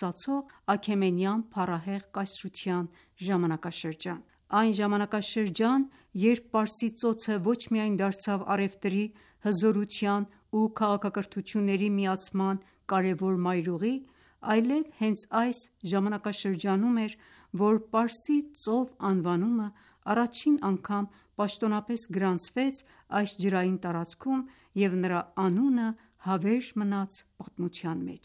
ծածող Աքեմենյան փառահեղ կայսրության ժամանակաշրջան: Այն ժամանակաշրջան, երբ Պարսից ծոցը ոչ միայն դարձավ առևտրի, հզորության ու քաղաքակրթությունների միացման կարևոր մայրուղի, այլև հենց այս ժամանակաշրջանում էր, որ Պարսից ծով անվանումը առաջին անգամ պաշտոնապես գրանցվեց այս ջրային տարածքում և նրա անունը հավերժ մնաց պատմության մեջ: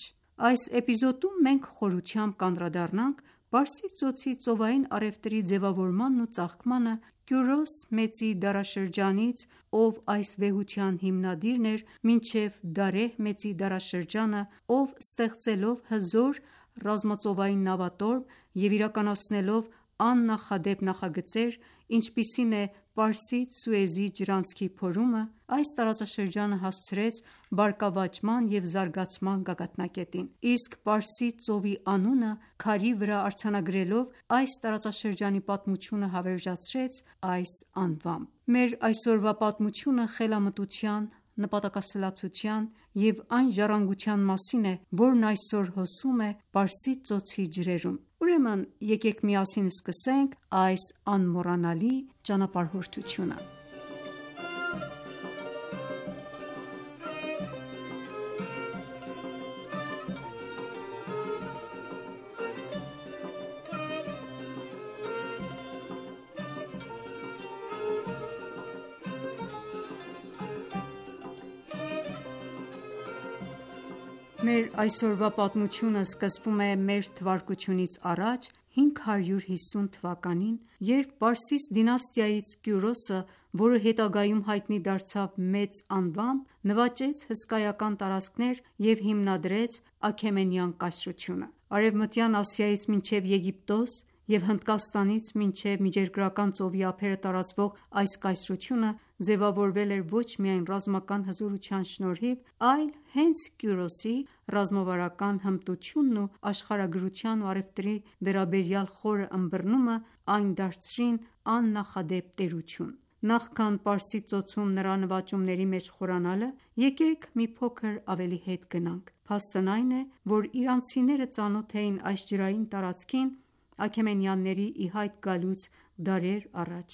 Այս էպիզոդում մենք խորությամբ կանդրադառնանք Պարսից ծոցի ծովային առևտրի ձևավորմանն ու ծաղկմանը Կյուրոս մեծի դարաշրջանից, ով այս վեհության հիմնադիրն էր, մինչև Դարեհ մեծի դարաշրջանը, ով ստեղծելով հզոր ռազմածովային նավատորմ և իրականացնելով աննախադեպ նախագծեր, ինչպիսին է Պարսից-Սուեզի ջրանցքի փորումը, այս տարածաշրջանը հասցրեց բարգավաճման և զարգացման գագաթնակետին: Իսկ Պարսից ծովի անունը քարի վրա արձանագրելով, այս տարածաշրջանի պատմությունը հավերժացրեց այս անվամբ: Մեր այսօրվա պատմությունը խելամտության, նպատակասլացության և այն ժառանգության մասին է, որն այսօր հոսում է Պարսից ծոցի ջրերում: Ուրեմն եկեք միասին սկսենք այս անմոռանալի ճանապարհորդությունը: Մեր այսօրվա պատմությունը սկսվում է մ.թ.ա. 550 թվականին, երբ Պարսից դինաստիայից Կյուրոսը, որը հետագայում հայտնի դարձավ մեծ անվամբ, նվաճեց հսկայական տարածքներ և հիմնադրեց Աքեմենյան կայսրությունը: Արևմտյան Ասիայից մինչև Եգիպտոս և Հնդկաստանից մինչև Միջերգրական ծովի ափերը տարածվող այս կայսրությունը ձևավորվել էր ոչ միայն ռազմական հզորության շնորհիվ, այլ հենց Կյուրոսի ռազմավարական հմտությունն ու աշխարհագրության ու առևտրի վերաբերյալ խորը ըմբռնումը այն դարձրին աննախադեպ տերություն: Նախքան Պարսից ծոցում նրա նվաճումների մեջ խորանալը, եկեք մի փոքր ավելի հետ գնանք: Փաստն այն է, որ իրանցիները ծանոթ էին այս ջրային տարածքին Աքեմենյանների ի հայտ գալուց դարեր առաջ: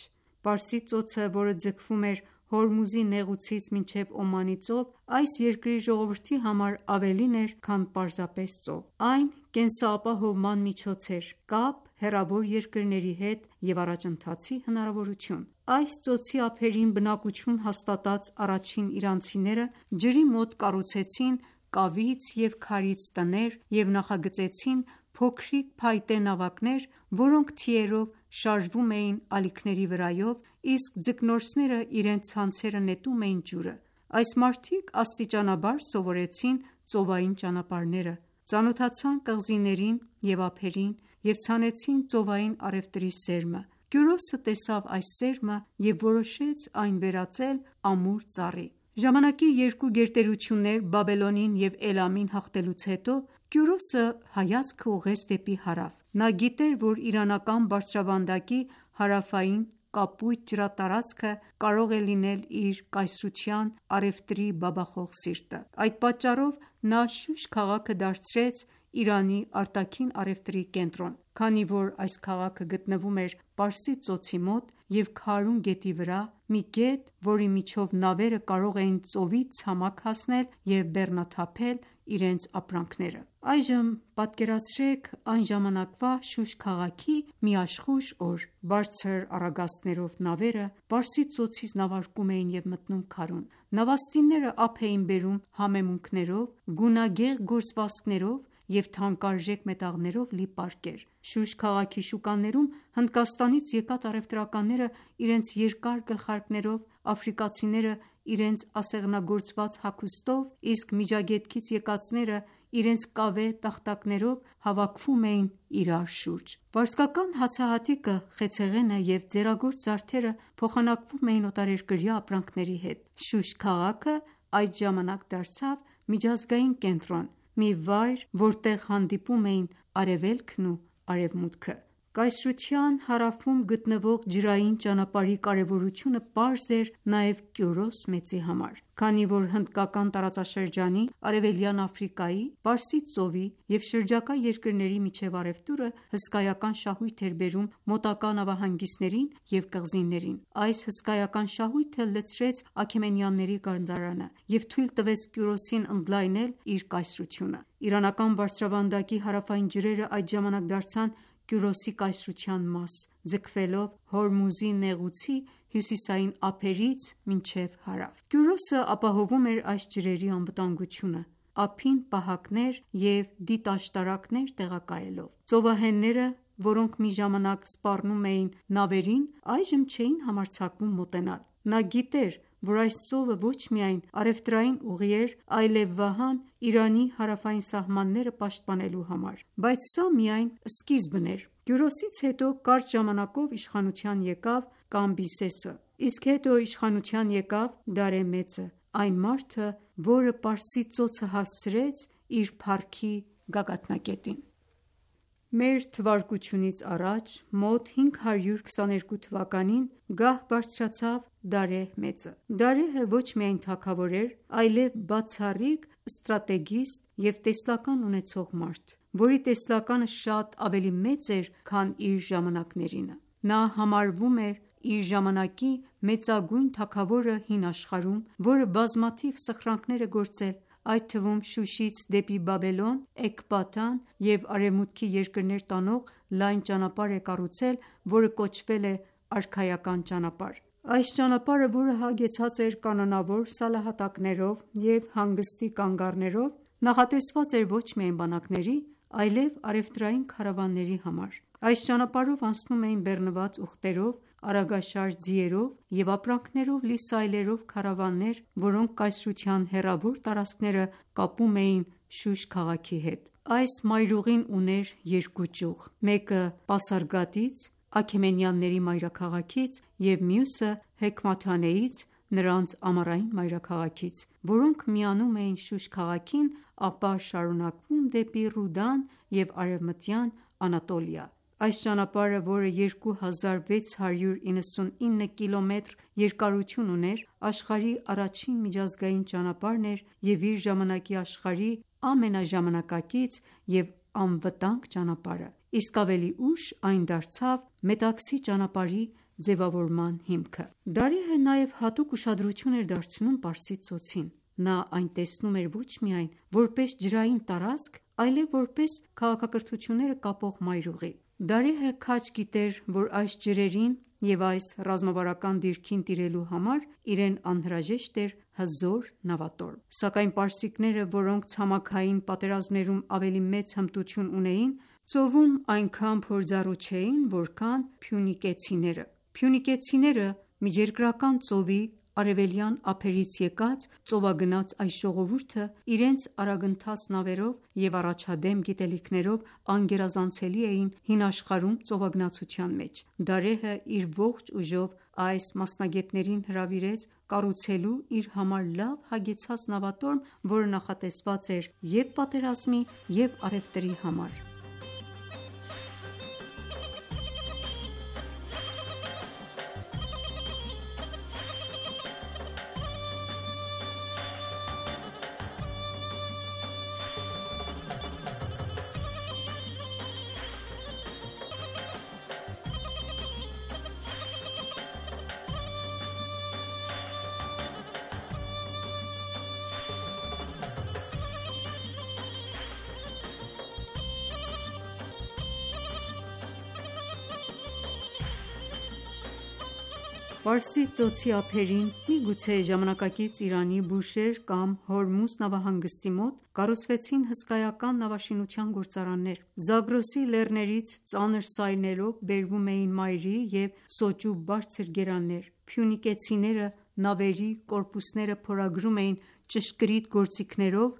Պարսից ծոցը, որը ձգվում էր Հորմուզի նեղուցից մինչև Օմանի ծով, այս երկրի ժողովրդի համար ավելին էր, քան պարզապես ծով: Այն կենսապահովման միջոց էր, կապ հեռավոր երկրների հետ և առաջընթացի հնարավորություն: Այս ծոցի ափերին բնակություն հաստատած առաջին իրանցիները ջրի մոտ կառուցեցին կավից և քարից տներ և նախագծեցին փոքրիկ փայտե նավակներ, որոնք թիերով շարժվում էին ալիքների վրայով, իսկ ձկնորսները իրենց ցանցերը նետում էին ջուրը: Այս մարդիկ աստիճանաբար սովորեցին ծովային ճանապարհները, ծանոթացան կղզիներին և ափերին և ցանեցին ծովային առևտրի սերմը: Կյուրոսը տեսավ այս սերմը և որոշեց այն վերածել ամուր ծառի: Ժամանակի երկու գերտերություններ Բաբելոնին և Էլամին հաղթելուց հետո, Կյուրոսը հայացքը ուղղեց դեպի հարավ: Նա գիտեր, որ իրանական բարձրավանդակի հարավային կապույտ ջրատարածքը կարող է լինել իր կայսրության առևտրի բաբախող սիրտը: Այդ պատճառով նա Շուշ քաղաքը դարձրեց Իրանի արտաքին առևտրի կենտրոն: Քանի որ այս քաղաքը գտնվում էր Պարսից ծոցի մոտ և Քարուն գետի վրա, մի գետ, որի միջով նավերը կարող էին ծովից ցամաք հասնել և բեռնաթափել իրենց ապրանքները: Այժմ պատկերացրեք այն ժամանակվա Շուշ քաղաքի մի աշխույժ օր: Բարձր առագաստներով նավերը Պարսից ծոցից նավարկում էին և մտնում Քարուն: Նավաստիները ափ էին բերում համեմունքներով, գունագեղ գործվածքներով և թանկարժեք մետաղներով լի պարկեր: Շուշ քաղաքի շուկաներում Հնդկաստանից եկած առևտրականները իրենց երկար գլխարկներով, աֆրիկացիները իրենց ասեղնագործված հագուստով, իսկ Միջագետքից եկածները իրենց կավե տախտակներով հավաքվում էին իրար շուրջ: Պարսկական հացահատիկը, խեցեղենը և ձեռագործ զարդերը փոխանակվում էին օտարերկրյա ապրանքների հետ: Շուշ քաղաքը այդ ժամանակ դարձավ միջազգային կենտրոն, մի վայր, որտեղ հանդիպում էին արևելքն ու արևմուտքը: Կայսրության հարավում գտնվող ջրային ճանապարհի կարևորությունը պարզ էր նաև Կյուրոս մեծի համար, քանի որ հնդկական տարածաշրջանի, Արևելյան Աֆրիկայի, Պարսից ծովի և շրջակա երկրների միջև առևտուրը հսկայական շահույթ էր բերում մոտակա նավահանգիստներին և կղզիներին: Այս հսկայական շահույթը լցրեց Աքեմենյանների գանձարանը և թույլ տվեց Կյուրոսին ընդլայնել իր կայսրությունը: Իրանական բարձրավանդակի հարավային ջրերը այդ ժամանակ դարձան Կյուրոսի կայսրության մաս, ձգվելով Հորմուզի նեղուցի հյուսիսային ափերից մինչև հարավ: Կյուրոսը ապահովում էր այս ջրերի անվտանգությունը, ափին պահակներ և դիտաշտարակներ տեղակայելով: Ծովահենները, որոնք մի ժամանակ սպառնում էին նավերին, այժմ չէին համարձակվում մոտենալ: Նա գիտեր, որ այս ծովը ոչ միայն առևտրային ուղի էր, այլև վահան Իրանի հարավային սահմանները պաշտպանելու համար: Բայց սա միայն սկիզբն էր: Կյուրոսից հետո կարճ ժամանակով իշխանության եկավ Կամբիսեսը, իսկ հետո իշխանության եկավ Դարեհ Մեծը, այն մարդը, որը Պարսից ծոցը հասցրեց իր փառքի գագաթնակետին: Մ.թ.ա. մոտ 522 թվականին գահ բարձրացավ Դարեհ մեծը: Դարեհը ոչ միայն թագավոր էր, այլև բացառիկ ստրատեգիստ և տեսլական ունեցող մարդ, որի տեսլականը շատ ավելի մեծ էր, քան իր ժամանակներինը: Նա համարվում էր իր ժամանակի մեծագույն թագավորը հին աշխարհում, որը բազմաթիվ սխրանքներ է գործել, այդ թվում Շուշից դեպի Բաբելոն, Էկբատան և արևմուտքի երկրներ տանող լայն ճանապարհ է կառուցել, որը կոչվել է արքայական ճանապարհ: Այս ճանապարհը, որը հագեցած էր կանոնավոր սալահատակներով և հանգստի կանգառներով, նախատեսված էր ոչ միայն բանակների, այլև առևտրային քարավանների համար: Այս ճանապարհով անցնում էին բեռնված ուղտերով, արագաշարժ ձիերով և ապրանքներով լի սայլերով քարավաններ, որոնք կայսրության հեռավոր տարածքները կապում էին Շուշ քաղաքի հետ: Այս մայրուղին ուներ երկու ճյուղ, մեկը Պասարգադից, Աքեմենյանների մայրաքաղաքից և մյուսը Հեքմաթանեից, նրանց ամառային մայրաքաղաքից, որոնք միանում էին Շուշ քաղաքին, ապա շարունակվում դեպի Ռուդան և արևմտյան Անատոլիա: Այս ճանապարհը, որը 2699 կիլոմետր երկարություն ուներ, աշխարհի առաջին միջազգային ճանապարհն էր և իր ժամանակի աշխարհի ամենաժամանակակից և անվտանգ ճանապարհը, իսկ ավելի ուշ այն դարձավ Մետաքսի ճանապարհի ձևավորման հիմքը: Դարեհը նաև հատուկ ուշադրություն էր դարձնում Պարսից ծոցին: Նա այն տեսնում էր ոչ միայն որպես ջրային տարածք, այլև որպես քաղաքակրթությունները կապող մայրուղի: Դարեհը քաջ գիտեր, որ այս ջրերին և այս ռազմավարական դիրքին տիրելու համար իրեն անհրաժեշտ էր հզոր նավատորմ: Սակայն պարսիկները, որոնք ցամաքային պատերազմներում ավելի մեծ հմտություն ունեին, ծովում այնքան փորձառու չէին, որքան փյունիկեցիները: Փյունիկեցիները Միջերկրական ծովի արևելյան ափերից եկած ծովագնաց այս ժողովուրդը իրենց արագընթաց նավերով և առաջադեմ գիտելիքներով անգերազանցելի էին հին աշխարհում ծովագնացության մեջ: Դարեհը իր ողջ ուժով այս մասնագետներին հրավիրեց կառուցելու իր համար լավ հագեցած նավատորմ, որը նախատեսված էր և պատերազմի և առևտրի համար: Պարսից ծոցի ափերին, միգուցե ժամանակակից Իրանի Բուշեհր կամ Հորմուզ նավահանգստի մոտ, կառուցվեցին հսկայական նավաշինության գործարաններ: Զագրոսի լեռներից ծանր սայլերով բերվում էին մայրի և սոճու բարձր գերաններ: Փյունիկեցիները նավերի կորպուսները փորագրում էին ճշգրիտ գործիքներով,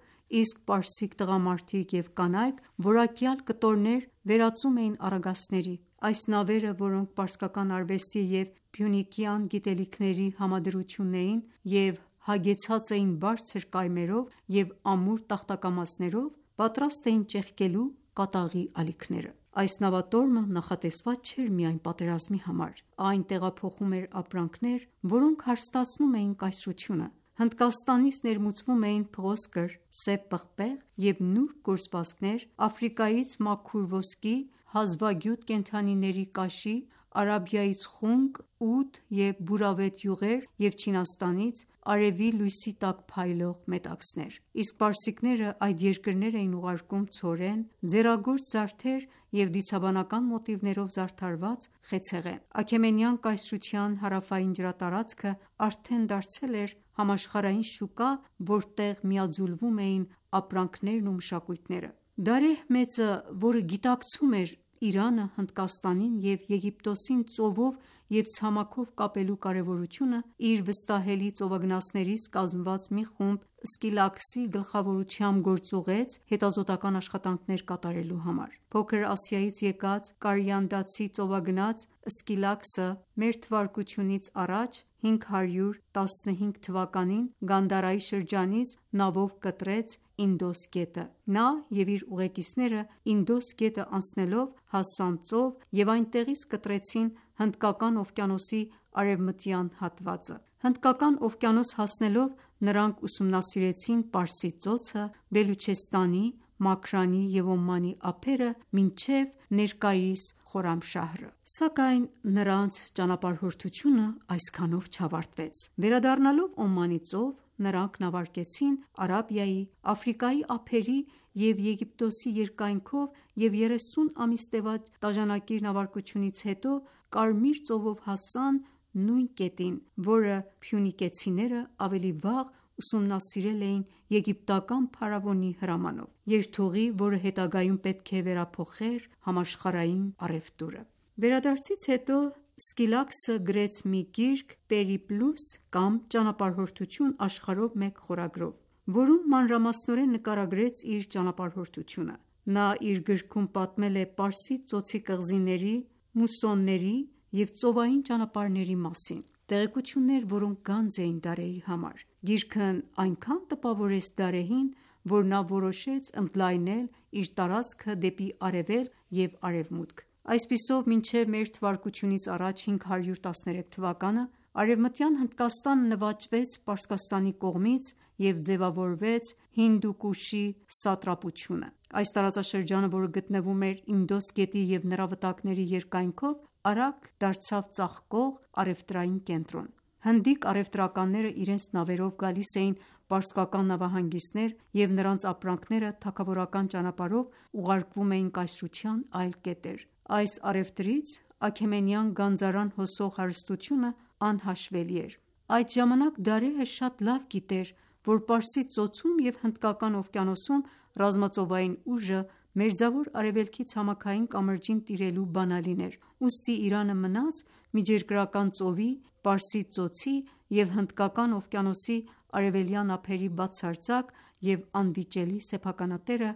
իսկ պարսիկ տղամարդիկ և կանայք որակյալ կտորներ վերածում էին առագաստների: Այս նավերը, որոնք պարսկական արվեստի և փյունիկյան գիտելիքների համադրությունն էին և հագեցած էին բարձր կայմերով և ամուր տախտակամածներով, պատրաստ էին ճեղքելու կատաղի ալիքները: Այս նավատորմը նախատեսված չէր միայն պատերազմի համար, այն տեղափոխում էր ապրանքներ, որոնք հարստացնում էին կայսրությունը։ Հնդկաստանից ներմուծվում էին փղոսկր, սև պղպեղ և նուրբ գործվածքներ, Աֆրիկայից մաքուր ոսկի, հազվագյուտ կենդանիների կաշի, Արաբիայից խունկ, ուդ և բուրավետ յուղեր և Չինաստանից արևի լույսի տակ փայլող մետաքսներ: Իսկ պարսիկները այդ երկրներ էին ուղարկում ցորեն, ձեռագործ զարդեր և դիցաբանական մոտիվներով զարդարված խեցեղեն։ Աքեմենյան կայսրության հարավային ջրատարածքը արդեն դարձել էր համաշխարհային շուկա, որտեղ միաձուլվում էին ապրանքներն ու մշակույթները։ Դարեհ Մեծը, որը գիտակցում էր Իրանը, Հնդկաստանին և Եգիպտոսին ծովով և ցամաքով կապելու կարևորությունը, իր վստահելի ծովագնացներից կազմված մի խումբ Սկիլակսի գլխավորությամբ գործ ուղղեց հետազոտական աշխատանքներ կատարելու համար։ Փոքր Ասիայից եկած կարիանդացի ծովագնաց Սկիլակսը մ.թ.ա. 515 թվականին Գանդհարայի շրջանից նավով կտրեց Ինդոս գետը։ Նա և իր ուղեկիցները Ինդոս գետը անցնելով հասան ծով և այնտեղից կտրեցին Հնդկական օվկիանոսի արևմտյան հատվածը։ Հնդկական օվկիանոս հասնելով նրանք ուսումնասիրեցին Պարսից ծոցը, Բելուչեստանի, Մաքրանի և Օմանի ափերը մինչև ներկայիս Խորամշահրը։ Սակայն նրանց ճանապարհորդությունը այսքանով չավարտվեց։ Վերադառնալով Օմանի ծով, նրանք նավարկեցին Արաբիայի, Աֆրիկայի ափերի և Եգիպտոսի երկայնքով և 30 ամիս տևած տաժանակիր նավարկությունից հետո Կարմիր ծովով հասան նույն կետին, որը փյունիկեցիները ավելի վաղ ուսումնասիրել էին եգիպտական փարավոնի հրամանով, երթուղի, որը հետագայում պետք է վերափոխեր համաշխարհային առևտուրը։ Վերադարձից հետո Սկիլակսը գրեց մի գիրք «Պերիպլուս» կամ «Ճանապարհորդություն աշխարհով մեկ» խորագրով, որում մանրամասնորեն նկարագրեց իր ճանապարհորդությունը։ Նա իր գրքում պատմել է Պարսից ծոցի կղզիների, մուսոնների և ծովային ճանապարհների մասին, տեղեկություններ, որոնք գանձ էին Դարեհի համար։ Գիրքն այնքան տպավորեց Դարեհին, որ նա որոշեց ընդլայնել իր տարածքը դեպի արևելք և արևմուտք։ Այսպիսով, մինչև մ.թ.ա. 513 թվականը Արևմտյան Հնդկաստանը նվաճվեց Պարսկաստանի կողմից և ձևավորվեց Հինդուկուշի սատրապությունը։ Այս տարածաշրջանը, որը գտնվում էր Ինդոս գետի և նրա վտակների երկայնքով, արագ դարձավ ծաղկող առևտրային կենտրոն։ Հնդիկ առևտրականները իրենց նավերով գալիս էին պարսկական նավահանգիստներ և նրանց ապրանքները թագավորական ճանապարհով ուղարկվում էին կայսրության այլ կետեր։ Այս առևտրից Աքեմենյան գանձարան հոսող հարստությունը անհաշվելի էր։ Այդ ժամանակ Դարեհը շատ լավ գիտեր, որ Պարսից ծոցում և Հնդկական օվկիանոսում ռազմածովային ուժը Մերձավոր Արևելքի ցամաքային կամրջին տիրելու բանալին էր, ուստի Իրանը մնաց Միջերկրական ծովի, Պարսից ծոցի և Հնդկական օվկիանոսի արևելյան ափերի բացարձակ և անվիճելի սեփականատերը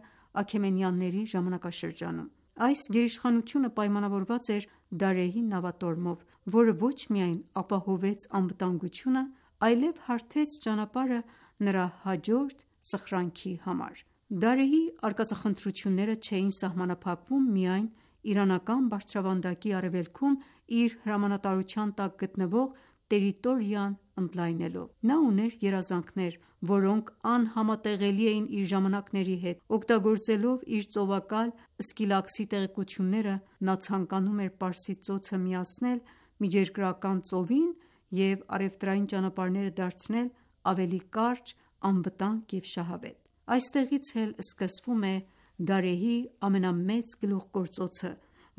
Աքեմենյանների ժամանակաշրջանում։ Այս գերիշխանությունը պայմանավորված էր Դարեհի նավատորմով, որը ոչ միայն ապահովեց անվտանգությունը, այլև հարթեց ճանապարհը նրա հաջորդ սխրանքի համար։ Դարեհի արկածախնդրությունները չէին սահմանափակվում միայն իրանական բարձրավանդակի արևելքում իր հրամանատարության տակ գտնվող տերիտորիան ընդլայնելով։ Նա ուներ երազանքներ, որոնք անհամատեղելի էին իր ժամանակների հետ։ Օգտագործելով իր ծովակալ Սկիլակսի տեղեկությունները, նա ցանկանում էր Պարսից ծոցը միացնել Միջերկրական ծովին և առևտրային ճանապարհները դարձնել ավելի կարճ, անվտանգ և շահավետ։ Այստեղից էլ սկսվում է Դարեհի ամենամեծ գլուխգործոցը,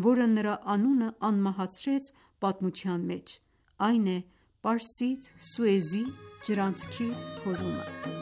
որը նրա անունը անմահացրեց պատմության մեջ, այն է Պարսից-Սուեզի ջրանցքի փորումը։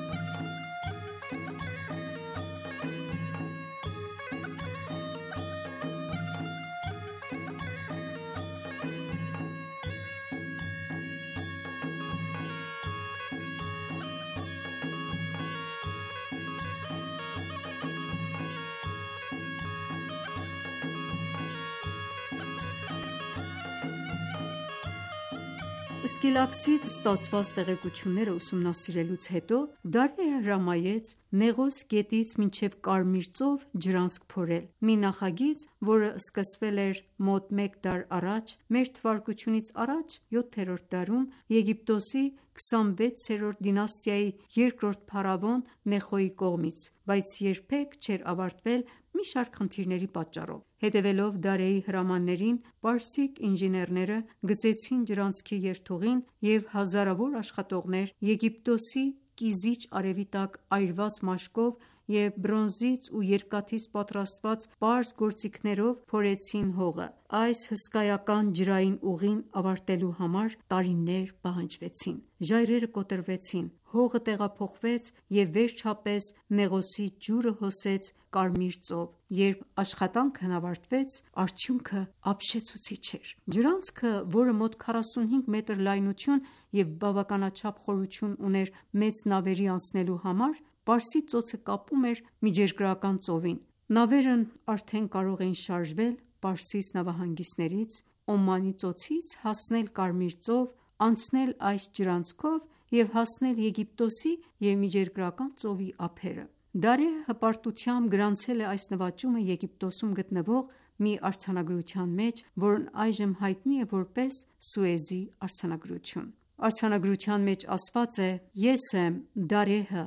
Սկիլաքսից ստացված տեղեկությունները ուսումնասիրելուց հետո Դարեհը հրամայեց Նեղոս գետից մինչև Կարմիր ծով ջրանցք փորել: Մի նախագիծ, որը սկսվել էր մոտ մեկ դար առաջ, մ.թ.ա. 7-րդ դարում Եգիպտոսի 26-րդ դինաստիայի երկրորդ փարավոն Նեխոյի կողմից, բայց երբեք չէր ավարտվել մի շարք խնդիրների պատճառով: Հետևելով Դարեհի հրամաններին, պարսիկ ինժեներները գծեցին ջրանցքի երթուղին և հազարավոր աշխատողներ Եգիպտոսի կիզիչ արևի տակ այրված մաշկով և բրոնզից ու երկաթից պատրաստված պարզ գործիքներով փորեցին հողը: Այս հսկայական ջրային ուղին ավարտելու համար տարիներ պահանջվեցին: Ժայռերը կոտրվեցին, հողը տեղափոխվեց և վերջապես Նեղոսի ջուրը հոսեց Կարմիր ծով: Երբ աշխատանքն ավարտվեց, արդյունքը ապշեցուցիչ էր: Ջրանցքը, որը մոտ 45 մետր լայնություն և բավականաչափ խորություն ուներ մեծ նավերի անցնելու համար, Պարսից ծոցը կապում էր Միջերկրական ծովին: Նավերն արդեն կարող էին շարժվել Պարսից նավահանգիստներից, Օմանի ծոցից հասնել Կարմիր ծով, անցնել այս ջրանցքով և հասնել Եգիպտոսի և Միջերկրական ծովի ափերը: Դարեհը հպարտությամբ գրանցել է այս նվաճումը Եգիպտոսում գտնվող մի արձանագրության մեջ, որն այժմ հայտնի է որպես Սուեզի արձանագրություն: Արձանագրության մեջ ասված է. «Ես եմ Դարեհը,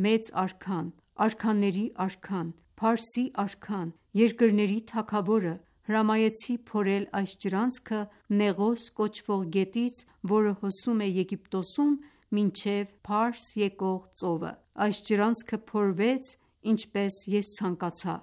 մեծ արքան, արքաների արքան, Փարսի արքան, երկրների թագավորը, հրամայեցի փորել այս ջրանցքը Նեղոս կոչվող գետից, որը հոսում է Եգիպտոսում մինչև Փարս եկող ծովը: Այս ջրանցքը փորվեց ինչպես ես ցանկացա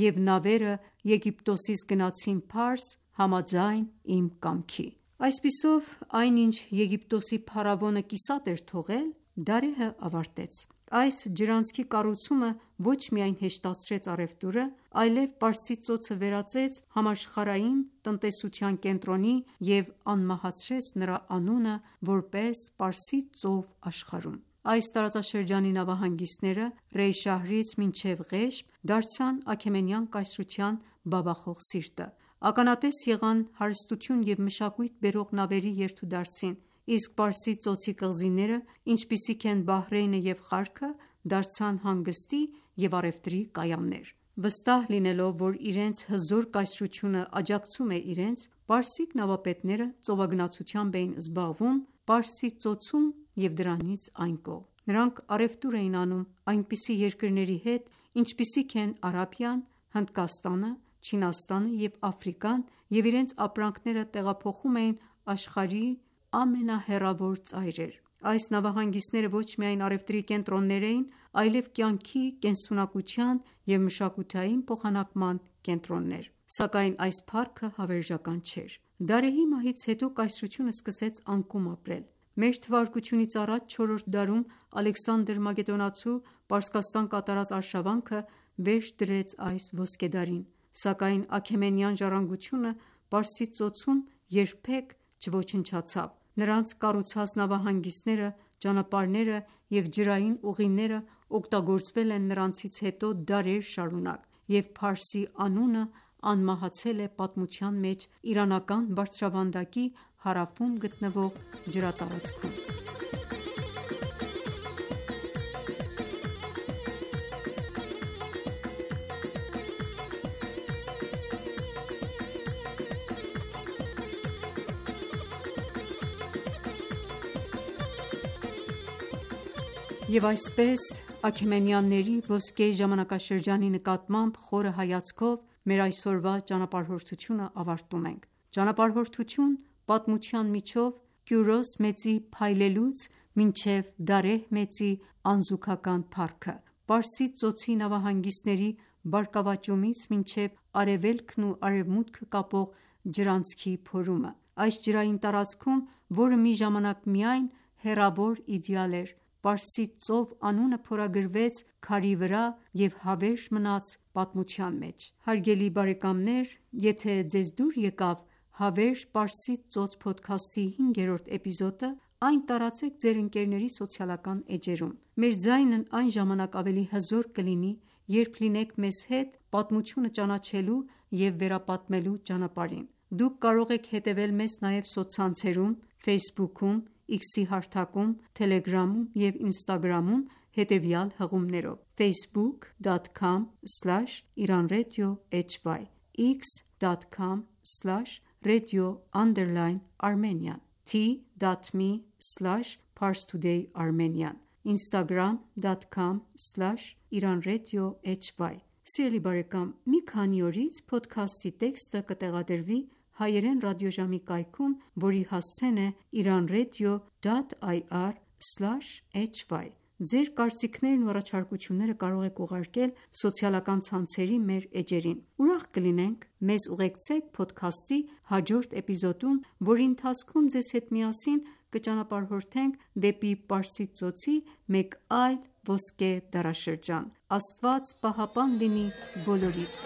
և նավերը Եգիպտոսից գնացին Փարս համաձայն իմ կամքի»: Այսպիսով, այն ինչ Եգիպտոսի փարավոնը կիսատ էր թողել, Դարեհը ավարտեց: Այս ջրանցքի կառուցումը ոչ միայն հեշտացրեց առևտուրը, այլև Պարսից ծոցը վերածեց համաշխարհային տնտեսության կենտրոնի և անմահացրեց նրա անունը որպես Պարսից ծով աշխարհում: Այս տարածաշրջանի նավահանգիստները Ռեյ շահրից մինչև Ղեշմ դարձան Աքեմենյան կայսրության բաբախող սիրտը: Ականատես եղան հարստություն և մշակույթ բերող նավերի երթուդարձին, իսկ Պարսից ծոցի կղզիները, ինչպիսիք են Բահրեյնը և Խարքը, դարձան հանգստի և առևտրի կայաններ: Վստահ լինելով, որ իրենց հզոր կայսրությունը աջակցում է իրենց, պարսիկ նավապետները ծովագնացությամբ էին զբաղվում Պարսից ծոցում և դրանից այն կողմ: Նրանք առևտուր էին անում այնպիսի երկրների հետ, ինչպիսիք են Արաբիան, Հնդկաստանը, Չինաստանը և Աֆրիկան և իրենց ապրանքները տեղափոխում էին աշխարհի ամենահեռավոր ծայրեր: Այս նավահանգիստները ոչ միայն առևտրի կենտրոններ էին, այլև կյանքի, կենսունակության և մշակութային փոխանակման կենտրոններ: Սակայն այս փառքը հավերժական չէր: Դարեհի մահից հետո կայսրությունը սկսեց անկում ապրել: Մ.թ.ա. 4-րդ դարում Ալեքսանդր Մակեդոնացու Պարսկաստան կատարած արշավանքը վերջ դրեց այս ոսկեդարին: Սակայն Աքեմենյան ժառանգությունը Պարսից ծոցում երբեք չոչնչացավ: Նրանց կառուցած նավահանգիստները, ճանապարհները և ջրային ուղիները օգտագործվել են նրանցից հետո դարեր շարունակ և Փարսի անունը անմահացել է պատմության մեջ իրանական բարձրավանդակի հարավում գտնվող ջրատարածքում: Եվ այսպես Աքեմենյանների ոսկե ժամանակաշրջանի նկատմամբ խորը հայացքով մեր այսօրվա ճանապարհորդությունը ավարտում ենք: Ճանապարհորդություն պատմության միջով Կյուրոս մեծի փայլելուց մինչև Դարեհ մեծի անզուգական փառքը, Պարսից ծոցի նավահանգիստների բարգավաճումից մինչև արևելքն ու արևմուտքը կապող ջրանցքի փորումը: Այս ջրային տարածքում, որը մի ժամանակ միայն հեռավոր իդեալ էր, Պարսից ծով անունը փորագրվեց քարի վրա և հավերժ մնաց պատմության մեջ: Հարգելի բարեկամներ եթե ձեզ դուր եկավ «Հավերժ Պարսից ծոց» փոդքասթի 5-րդ էպիզոդը, այն տարածեք ձեր ընկերների սոցիալական էջերում: Մեր ձայնն այն ժամանակ ավելի հզոր կլինի, երբ լինեք մեզ հետ պատմությունը ճանաչելու և վերապատմելու ճանապարհին: Դուք կարող եք հետևել մեզ նաև սոցցանցերում Facebook-ում, X-ի հարթակում, Telegram-ում և Instagram-ում հետևյալ հղումներով՝ facebook.com/iranradio hy, x.com/radio_Armenian, t.me/parstoday_armenian, instagram.com/iranradiohy։ Սիրելի բարեկամ, մի քանի օրից փոդքասթի տեքստը կտեղադրվի հայերեն ռադիոժամի կայքում, որի հասցեն է iranradio.ir/hy։ Ձեր կարծիքներն ու առաջարկությունները կարող եք ուղարկել սոցիալական ցանցերի մեր էջերին։ Ուրախ կլինենք մեզ ուղեկցեք փոդքասթի հաջորդ էպիզոդում, որի ընթացքում ձեզ հետ միասին կճանապարհորդենք դեպի Պարսից ծոցի մեկ այլ ոսկե դարաշրջան։ Աստված պահապան լինի բոլորիդ։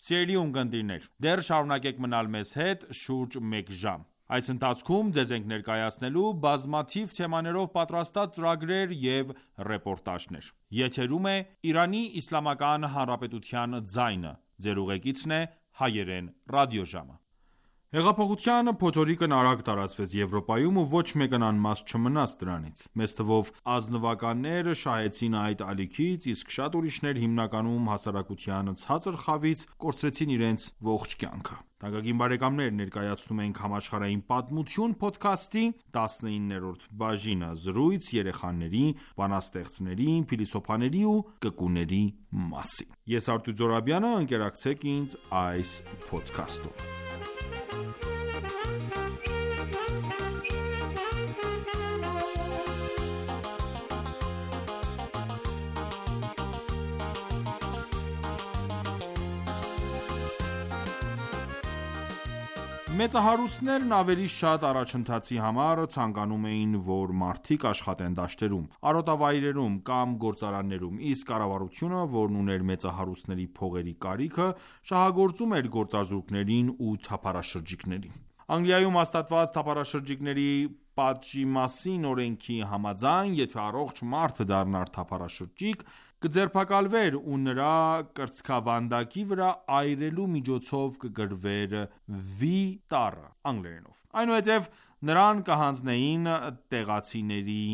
Սիրելի ունկնդիրներ, դեռ շարունակեք մնալ մեզ հետ շուրջ մեկ ժամ։ Այս ընթացքում ձեզ ենք ներկայացնելու բազմաթիվ թեմաներով պատրաստած ծրագրեր և ռեպորտաժներ։ Եթերում է Իրանի Իսլամական Հանրապետության ձայնը։ Ձեր ուղեկիցն է հայերեն ռադիոժամը։ Հեղափոխության փոթորիկն արագ տարածվեց Եվրոպայում ու ոչ մեկն անմաս չմնաց դրանից։ Մեծ թվով ազնվականներ շահեցին այդ ալիքից, իսկ շատ ուրիշներ հիմնականում հասարակության ցածր խավից կորցրեցին իրենց ողջ կյանքը։ Թանկագին բարեկամներ, ներկայացնում ենք համաշխարհային պատմություն փոդքասթի 19-րդ բաժինը՝ զրույց երեխաների, բանաստեղծների, փիլիսոփաների ու կկուների մասին։ Ես Արտույտ Զոհրաբյանը, ընկերակցեք ինձ այս փոդքասթում։ Մեծահարուստներն ավելի շատ առաջընթացի համար ցանկանում էին, որ մարդիկ աշխատեն դաշտերում, արոտավայրերում կամ գործարաններում, իսկ կառավարությունը, որն ուներ մեծահարուստների փողերի կարիքը, շահագործում էր գործազուրկներին ու թափառաշրջիկներին։ Անգլիայում հաստատված թափառաշրջիկների պատժի մասին օրենքի համաձայն, եթե առողջ մարդ դառնար թափառաշրջիկ, կձերբակալվեր ու նրա կրծքավանդակի վրա այրելու միջոցով կգրվեր V տառը անգլերենով։ Այնուհետև նրան կհանձնեին տեղացիների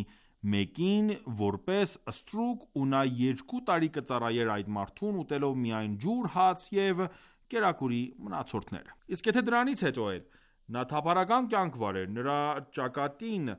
մեկին որպես ստրուկ ու նա 2 տարի կծառայեր այդ մարդուն, ուտելով միայն ջուր, հաց և կերակուրի մնացորդները։ Իսկ եթե դրանից հետո էլ նա թափառական կյանք վարեր, նրա ճակատին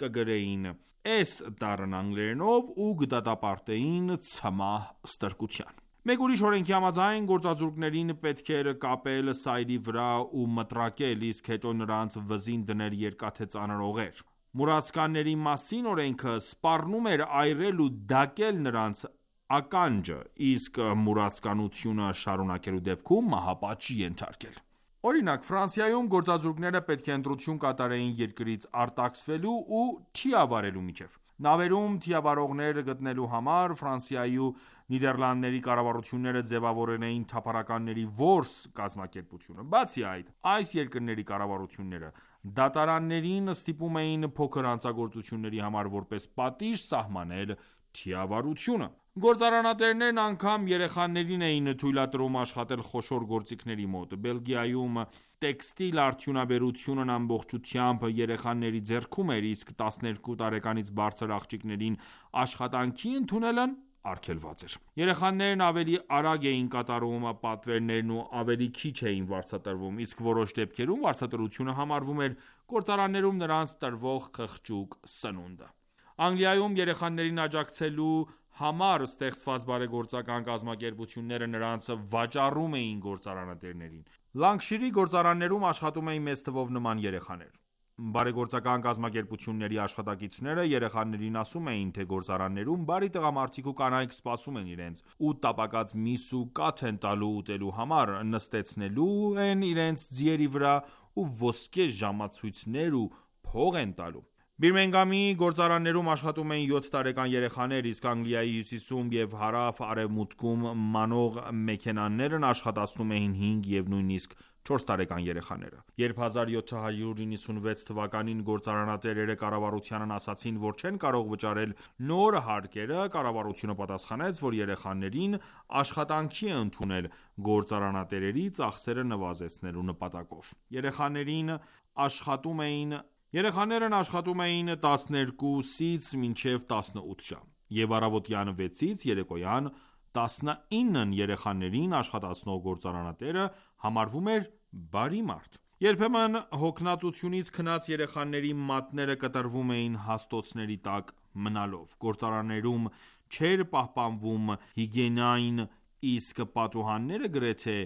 կգրեին S տառն անգլերենով ու կդատապարտեին ցմահ ստրկության։ Մեկ ուրիշ օրենքի համաձայն գործազուրկներին պետք էր կապել սայլի վրա ու մտրակել, իսկ հետո նրանց վզին դնել երկաթե ծանր օղեր։ Մուրացկանների մասին օրենքը սպառնում էր այրել ու դակել նրանց ականջը, իսկ մուրացկանությունը շարունակելու դեպքում մահապատժի ենթարկել։ Օրինակ, Ֆրանսիայում գործազուրկները պետք է ընտրություն կատարեին երկրից արտաքսվելու ու թիավարելու միջև։ Նավերում թիավարողներ գտնելու համար Ֆրանսիայի ու Նիդերլանդների կառավարությունները ձևավորել էին թափառականների որս կազմակերպությունը։ Բացի այդ, այս երկրների կառավարությունները դատարաններին ստիպում էին փոքր հանցագործությունների համար որպես պատիժ սահմանել թիավարությունը։ Գործարանատերերն անգամ երեխաներին էին թույլատրում աշխատել խոշոր գործիքների մոտ։ Բելգիայում տեքստիլ արդյունաբերությունն ամբողջությամբ երեխաների ձեռքում էր, իսկ 12 տարեկանից բարձր աղջիկներին աշխատանքի ընդունելն արգելված էր։ Երեխաներն ավելի արագ էին կատարում պատվերներն ու ավելի քիչ էին վարձատրվում, իսկ որոշ դեպքերում վարձատրությունը համարվում էր գործարաններում նրանց տրվող խղճուկ սնունդը։ Անգլիայում երեխաներին աջակցելու համար ստեղծված բարեգործական կազմակերպությունները նրանց վաճառում էին գործարանատերերին։ Լանկշիրի գործարաններում աշխատում էին մեծ թվով նման երեխաներ։ Բարեգործական կազմակերպությունների աշխատակիցները երեխաներին ասում էին, թե գործարաններում բարի տղամարդիկ ու կանայք սպասում են իրենց, ու տապակած միս ու կաթ են տալու ուտելու համար, նստեցնելու են իրենց ձիերի վրա ու ոսկե ժամացույցներ ու փող են տալու։ Բիրմենգամի գործարաններում աշխատում էին 7 տարեկան երեխաներ, իսկ Անգլիայի հյուսիսում և հարավ-արևմուտքում մանող մեքենաներն աշխատացնում էին 5 և նույնիսկ 4 տարեկան երեխաները։ Երբ 1796 թվականին գործարանատերերը կառավարությանն ասացին, որ չեն կարող վճարել նոր հարկերը, կառավարությունը պատասխանեց, որ երեխաներին աշխատանքի է ընդունել գործարանատերերի ծախսերը նվազեցնելու նպատակով։ Երեխաներն աշխատում էին 12-ից մինչև 18 ժամ, և առավոտյան 6-ից երեկոյան 19-ն երեխաներին աշխատացնող գործարանատերը համարվում էր բարի մարդ։ Երբեմն հոգնածությունից քնած երեխաների մատները կտրվում էին հաստոցների տակ մնալով։ Գործարաններում չէր պահպանվում հիգիենան, իսկ պատուհանները գրեթե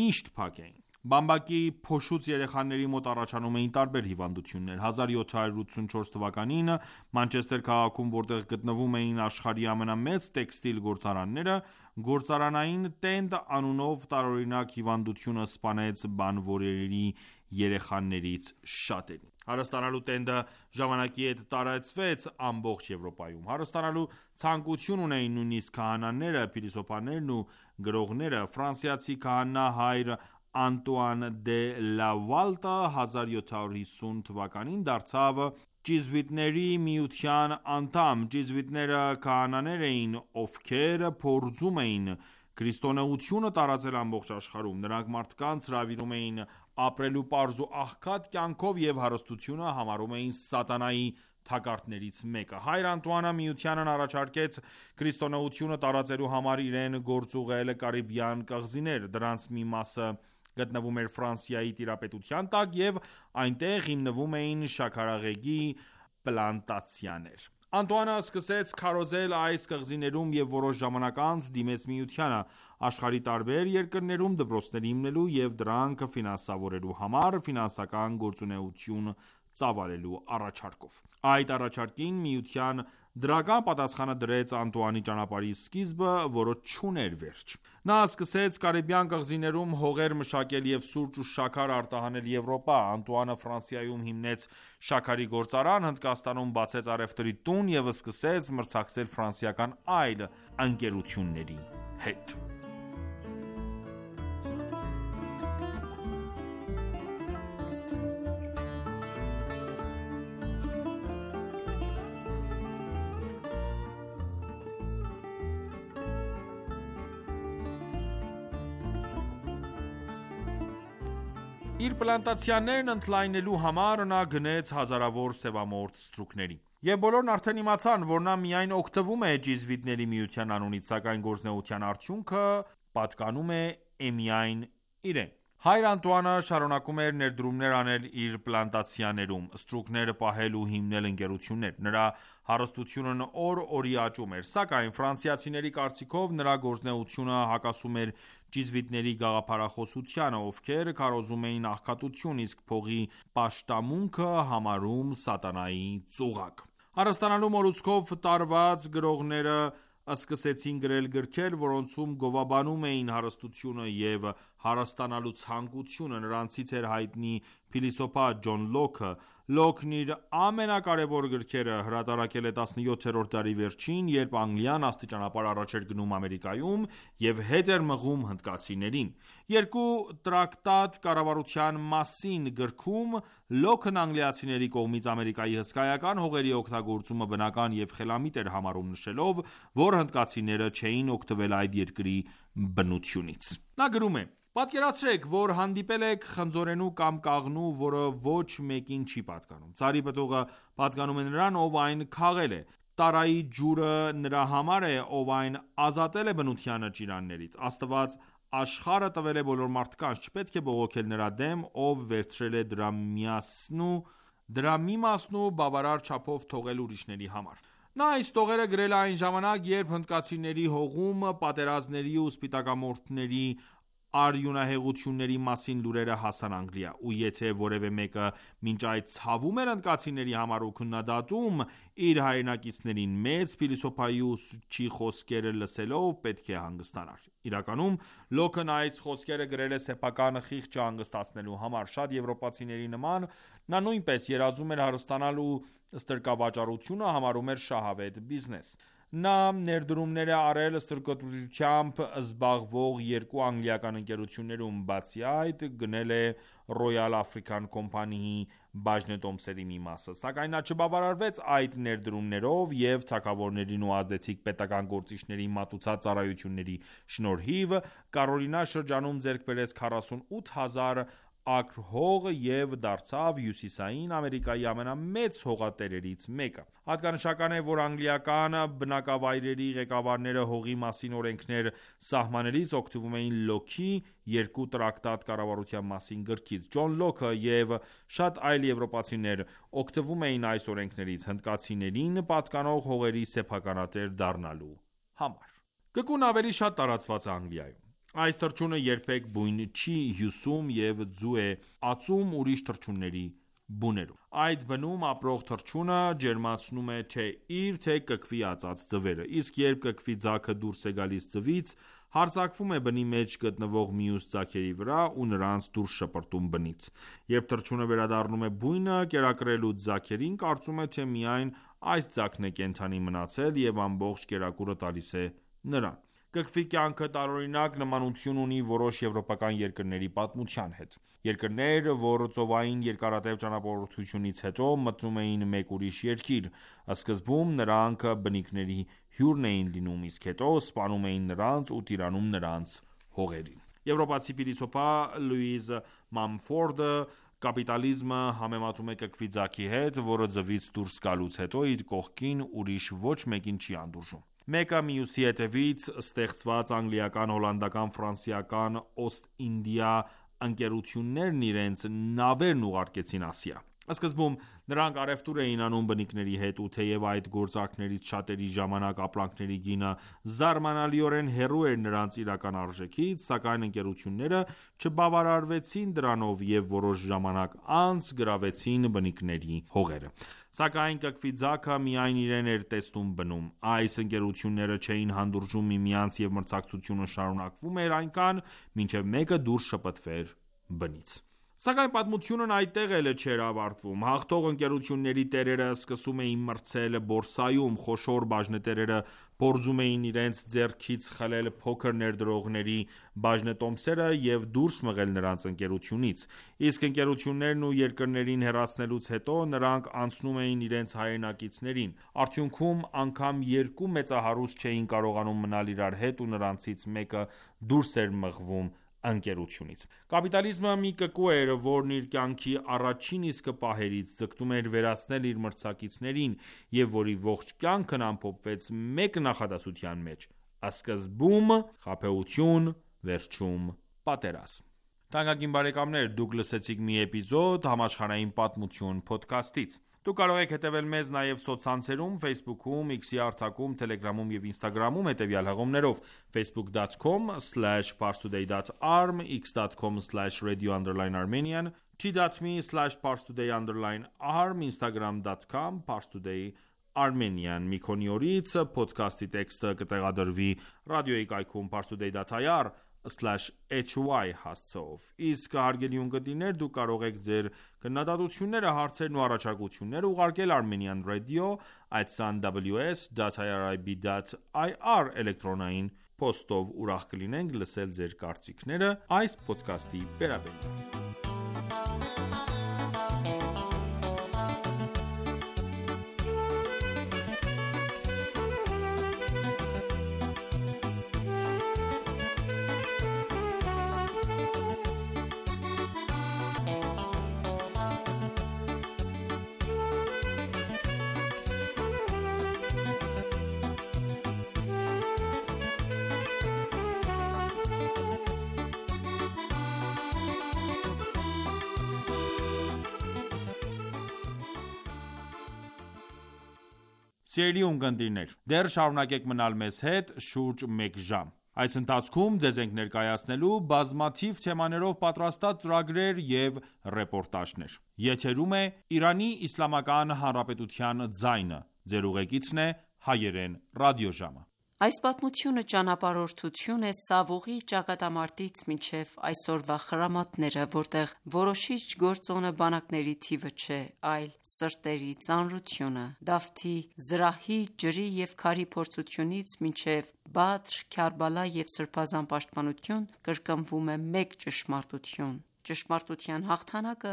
միշտ փակ էին։ Բամբակի փոշուց երեխաների մոտ առաջանում էին տարբեր հիվանդություններ։ 1784 թվականին Մանչեսթեր քաղաքում, որտեղ գտնվում էին աշխարհի ամենամեծ տեքստիլ գործարանները, գործարանային տենդ անունով տարօրինակ հիվանդությունը սպանեց բանվորների երեխաներից շատերին։ Հարստանալու տենդը ժամանակի հետ տարածվեց ամբողջ Եվրոպայում։ Հարստանալու ցանկություն ունեին նույնիսկ քահանաները, փիլիսոփաներն ու գրողները։ Ֆրանսիացի քահանա հայր Անտուան դե Լավալտը 1750 թվականին դարձավ ճիզվիտների միության անդամ։ Ճիզվիտները քահանաներ էին, ովքեր փորձում էին քրիստոնեությունը տարածել ամբողջ աշխարհում։ Նրանք մարդկանց հրավիրում էին ապրելու պարզ ու աղքատ կյանքով և հարստությունը համարում էին սատանայի թակարդներից մեկը։ Հայր Անտուանը միությանն առաջարկեց քրիստոնեությունը տարածելու համար իրեն գործուղել Կարիբյան կղզիներ։ Դրանց մի մասը գտնվում էր Ֆրանսիայի տիրապետության տակ, և այնտեղ հիմնվում էին շաքարեղեգի պլանտացիաներ։ Անտուանը սկսեց քարոզել այս կղզիներում և որոշ ժամանակ անց դիմեց միությանը՝ աշխարհի տարբեր երկրներում դպրոցներ հիմնելու և դրանք ֆինանսավորելու համար ֆինանսական գործունեություն ծավալելու առաջարկով։ Այդ առաջարկին միության դրական պատասխանը դրեց Անտուանի ճանապարհի սկիզբը, որը չուներ վերջ։ Նա սկսեց Կարիբյան կղզիներում հողեր մշակել և սուրճ ու շաքար արտահանել Եվրոպա։ Անտուանը Ֆրանսիայում հիմնեց շաքարի գործարան, Հնդկաստանում բացեց առևտրի տուն և սկսեց մրցակցել ֆրանսիական այլ ընկերությունների հետ։ Իր պլանտացիաներն ընդլայնելու համար նա գնեց հազարավոր սևամորթ ստրուկների։ Եվ բոլորն արդեն իմացան, որ նա միայն օգտվում է ճիզվիտների միության անունից, սակայն գործունեության արդյունքը պատկանում է միայն իրեն։ Հայր Անտուանը շարունակում էր ներդրումներ անել իր պլանտացիաներում, ստրուկներ պահել ու հիմնել ընկերություններ։ Նրա հարստությունն օր-օրի աճում էր, սակայն ֆրանսիացիների կարծիքով նրա գործունեությունը հակասում էր ճիզվիտների գաղափարախոսությանը, ովքեր քարոզում էին աղքատություն, իսկ փողի պաշտամունքը համարում սատանայի ծուղակ։ Հարստանալու մոլուցքով տարված գրողները սկսեցին գրել գրքեր, որոնցում գովաբանում էին հարստությունը և հարստանալու ցանկությունը։ Նրանցից էր հայտնի փիլիսոփա Ջոն Լոքը։ Լոքն իր ամենակարևոր գրքերը հրատարակել է 17-րդ դարի վերջին, երբ Անգլիան աստիճանաբար առաջ էր գնում Ամերիկայում և հետ էր մղում հնդկացիներին։ Երկու տրակտատ կառավարության մասին գրքում Լոքն անգլիացիների կողմից Ամերիկայի հսկայական հողերի օգտագործումը բնական և խելամիտ էր համարում, նշելով, որ հնդկացիները չէին օգտվել այդ երկրի բնությունից։ Նա գրում է. «Պատկերացրեք, որ հանդիպել եք խնձորենու կամ կաղնու, որը ոչ մեկին չի պատկանում։ Ծառի պտուղը պատկանում է նրան, ով այն քաղել է։ Տարայի ջուրը նրա համար է, ով այն ազատել է բնության ճիրաններից։ Աստված աշխարհը տվել է բոլոր մարդկանց, չպետք է բողոքել նրա դեմ, ով վերցրել է դրա մի մասն ու բավարար չափով թողել ուրիշների համար»։ Նա այս տողերը գրել է այն ժամանակ, երբ հնդկացիների հողում պատերազմների ու սպիտակամորթների արյունահեղությունների մասին լուրերը հասան Անգլիա, ու եթե որևէ մեկը մինչ այդ ցավում էր հնդկացիների համար ու քննադատում իր հայրենակիցներին, մեծ փիլիսոփայի ու ուսուցչի խոսքերը լսելով պետք է հանգստանար։ Իրականում Լոքն այս խոսքերը գրել է սեփական խիղճը հանգստացնելու համար։ Շատ եվրոպացիների նման նա նույնպես երազում էր հարստանալ ու ստրկավաճառությունը համարում էր շահավետ բիզնես։ Նա ներդրումներ է արել ստրկոտությամբ զբաղվող երկու անգլիական ընկերություններում, բացի այդ գնել է Royal African Company-ի բաժնետոմսերի մի մասը, սակայն նա չբավարարվեց այդ ներդրումներով և թագավորներին ու ազդեցիկ պետական գործիչների մատուցած ծառայությունների շնորհիվ Կարոլինա շրջանում ձեռք բերեց 48,000 ակր հող և դարձավ Հյուսիսային Ամերիկայի ամենամեծ հողատերերից մեկը։ Հատկանշական է, որ անգլիական բնակավայրերի ղեկավարները հողի մասին օրենքներ սահմանելիս օգտվում էին Լոքի «Երկու տրակտատ կառավարության մասին» գրքից։ Ջոն Լոքը և շատ այլ եվրոպացիներ օգտվում էին այս օրենքներից՝ հնդկացիներին պատկանող հողերի սեփականատեր դառնալու համար։ Կկուն ավելի շատ տարածված է Անգլիայում։ Այս թռչունը երբեք բույն չի հյուսում և ձու է ածում ուրիշ թռչունների բուներում։ Այդ բնում ապրող թռչունը ջերմացնում է թե իր, թե կկվի ածած ձվերը, իսկ երբ կկվի ձագը դուրս է գալիս ձվից, հարձակվում է բնի մեջ գտնվող մյուս ձագերի վրա ու նրանց դուրս շպրտում բնից։ Երբ թռչունը վերադառնում է բույնը կերակրելու ձագերին, կարծում է, թե միայն այս ձագն է կենդանի մնացել և ամբողջ կերակուրը տալիս է նրան։ Կկվի կյանքը տարօրինակ նմանություն ունի որոշ եվրոպական երկրների պատմության հետ։ Երկրներ, որ ծովային երկարատև ճանապարհորդությունից հետո մտնում էին մեկ ուրիշ երկիր։ Սկզբում նրանք բնիկների հյուրն էին լինում, իսկ հետո սպանում էին նրանց ու տիրանում նրանց հողերին։ Եվրոպացի փիլիսոփա Լուիզ Մամֆորդը կապիտալիզմը համեմատում է կկվի ձագի հետ, որը ձվից դուրս գալուց հետո իր կողքին ուրիշ ոչ մեկին չի հանդուրժում։ Մեկը մյուսի հետևից ստեղծված անգլիական, հոլանդական, ֆրանսիական, Օստ-Ինդիա ընկերություններն իրենց նավերն ուղարկեցին Ասիա։ Սկզբում նրանք առևտուր էին անում բնիկների հետ, ու թեև այդ գործարքներից շատերի ժամանակ ապրանքների գինը զարմանալիորեն հեռու էր նրանց իրական արժեքից, սակայն ընկերությունները չբավարարվեցին դրանով և որոշ ժամանակ անց գրավեցին բնիկների հողերը։ Սակայն կկվի ձագը միայն իրեն էր տեսնում բնում։ Այս ընկերությունները չէին հանդուրժում միմյանց և մրցակցությունը շարունակվում էր այնքան, մինչև մեկը դուրս շպտվեր բնից։ Սակայն պատմությունն այդտեղ էլ չէր ավարտվում։ Հաղթող ընկերությունների տերերը սկսում էին մրցել բորսայում, խոշոր բաժնետերերը փորձում էին իրենց ձեռքից խլել փոքր ներդրողների բաժնետոմսերը և դուրս մղել նրանց ընկերությունից, իսկ ընկերություններն ու երկրներին հեռացնելուց հետո նրանք անցնում էին իրենց հայրենակիցներին։ Արդյունքում անգամ երկու մեծահարուստ չէին կարողանում մնալ իրար հետ ու նրանցից մեկը դուրս էր մղվում ընկերությունից։ Կապիտալիզմը մի կկու էր, որն իր կյանքի առաջին իսկ պահերից ձգտում էր վերացնել իր մրցակիցներին և որի ողջ կյանքն ամփոփվեց մեկ նախադասության մեջ՝ սկզբում խաբեություն, վերջում պատերազմ։ Թանկագին բարեկամներ, դուք լսեցիք մի էպիզոդ «Համաշխարհային պատմություն» փոդքասթից։ Դուք կարող եք հետևել մեզ նաև սոցցանցերում Facebook-ում, X-ի հարթակում, Telegram-ում և Instagram-ում հետևյալ հղումներով՝ facebook.com/parstoday.arm, x.com/radio_armenian, t.me/parstoday_arm, instagram.com/parstoday_armenian։ Մի քանի օրից փոդքասթի տեքստը կտեղադրվի ռադիոյի կայքում parstoday.ir/hy հասցեով։ Իսկ հարգելի ունկնդիրներ, դուք կարող եք ձեր քննադատությունները, հարցերն ու առաջարկությունները ուղարկել Armenian Radio@ws.irib.ir էլեկտրոնային փոստով։ Ուրախ կլինենք լսել ձեր կարծիքները այս փոդքասթի վերաբերյալ։ Սիրելի ունկնդիրներ, դեռ շարունակեք մնալ մեզ հետ շուրջ մեկ ժամ։ Այս ընթացքում ձեզ ենք ներկայացնելու բազմաթիվ թեմաներով պատրաստած ծրագրեր և ռեպորտաժներ: Եթերում է Իրանի Իսլամական Հանրապետության ձայնը: Ձեր ուղեկիցն է Հայերեն ռադիոժամը: Այս պատմությունը ճանապարհորդություն է Սավուղի ճակատամարտից մինչև այսօրվա խրամատները, որտեղ որոշիչ գործոնը բանակների թիվը չէ, այլ սրտերի ծանրությունը: Դավթի, զրահի, ջրի և քարի փորձությունից մինչև Բադր, Քարբալա և Սրբազան պաշտպանություն կրկնվում է մեկ ճշմարտություն: Ճշմարտության հաղթանակը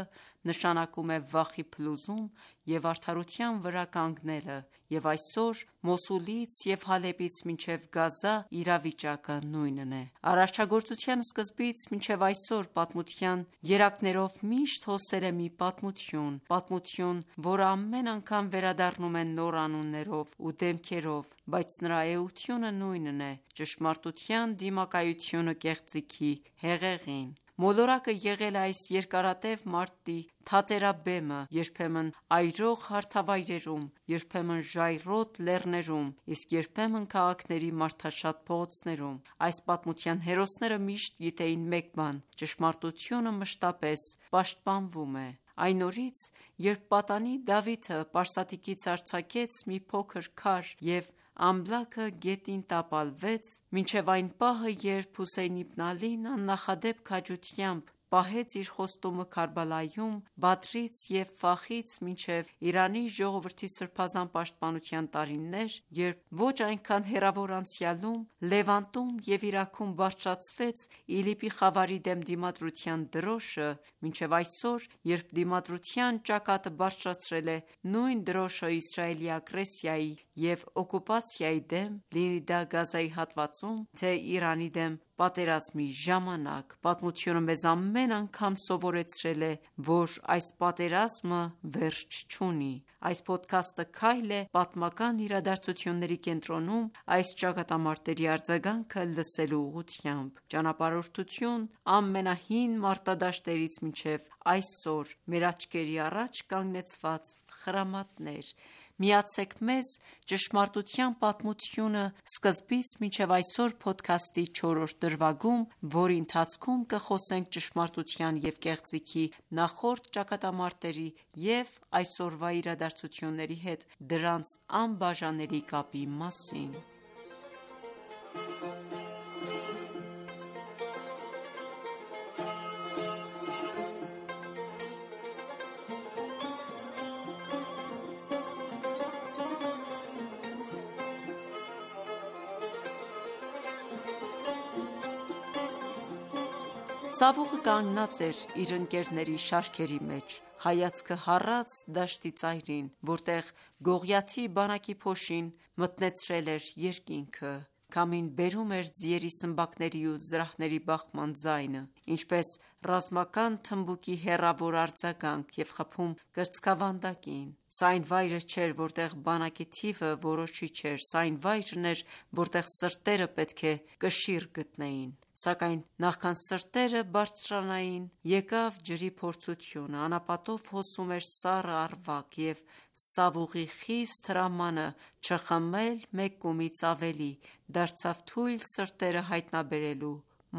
նշանակում է վախի փլուզում և արդարության վրա կանգնելը, և այսօր Մոսուլից և Հալեպից մինչև Գազա իրավիճակը նույնն է: Արարչագործության սկզբից մինչև այսօր պատմության երակներով միշտ հոսել է մի պատմություն, որը ամեն անգամ վերադառնում է նոր անուններով ու դեմքերով, բայց նրա էությունը նույնն է՝ ճշմարտության դիմակայությունը կեղծիքի հեղեղին: Մոլորակը եղել է այս երկարատև մարտի թատերաբեմը, երբեմն այրող հարթավայրերում, երբեմն ժայռոտ լեռներում, իսկ երբեմն քաղաքների մարդաշատ փողոցներում: Այս պատմության հերոսները միշտ գիտեին մեկ բան՝ ճշմարտությունը մշտապես պաշտպանվում է: Այն օրից, երբ պատանի Դավիթը Պարսատիկից արձակեց մի փոքր քար և ամբլաքը գետին տապալվեց, մինչև այն պահը, երբ Հոսեյն Իբն Ալին աննախադեպ քաջությամբ պահեց իր խոստումը Քարբալայում, Բադրից և Ֆախից մինչև Իրանի ժողովրդի սրբազան պաշտպանության տարիներ, երբ ոչ այնքան հեռավոր անցյալում, Լևանտում և Իրաքում բարձրացվեց ԻԼԻՊ-ի խավարի դեմ դիմադրության դրոշը, մինչև այսօր, երբ դիմադրության ճակատը բարձրացրել է նույն դրոշը Իսրայելի ագրեսիայի և օկուպացիայի դեմ, լինի դա Գազայի հատվածում, թե Իրանի դեմ պատերազմի ժամանակ, պատմությունը մեզ ամեն անգամ սովորեցրել է, որ այս պատերազմը վերջ չունի: Այս փոդքասթը քայլ է պատմական իրադարձությունների կենտրոնում այս ճակատամարտերի արձագանքը լսելու ուղղությամբ: Ճանապարհորդություն ամենահին մարտադաշտերից մինչև այսօր: Մեր աչքերի առաջ կանգնեցված խրամատներ: Միացեք մեզ «Ճշմարտության պատմությունը» սկզբից մինչև այսօր փոդքասթի 4-րդ դրվագում, որի ընթացքում կխոսենք ճշմարտության և կեղծիքի նախորդ ճակատամարտերի և այսօրվա իրադարձությունների հետ դրանց անբաժանելի կապի մասին: Սավուղը կանգնած էր իր ընկերների շարքերի մեջ, հայացքը հառած դաշտի ծայրին, որտեղ Գողիաթի բանակի փոշին մթնեցրել էր երկինքը: Քամին բերում էր ձիերի սմբակների ու զրահների բախման ձայնը, ինչպես ռազմական թմբուկի հեռավոր արձագանք և խփում կրծքավանդակին: Սա այն վայրը չէր, որտեղ բանակի թիվը որոշիչ էր: Սա այն վայրն էր, որտեղ սրտերը պետք է կշիռ գտնեին: Սակայն նախքան սրտերը բարձրանային, եկավ ջրի փորձությունը: Անապատով հոսում էր սառը առվակ և Սավուղի խիստ հրամանը չխմել մեկ կումից ավելի, դարձավ թույլ սրտերը հայտնաբերելու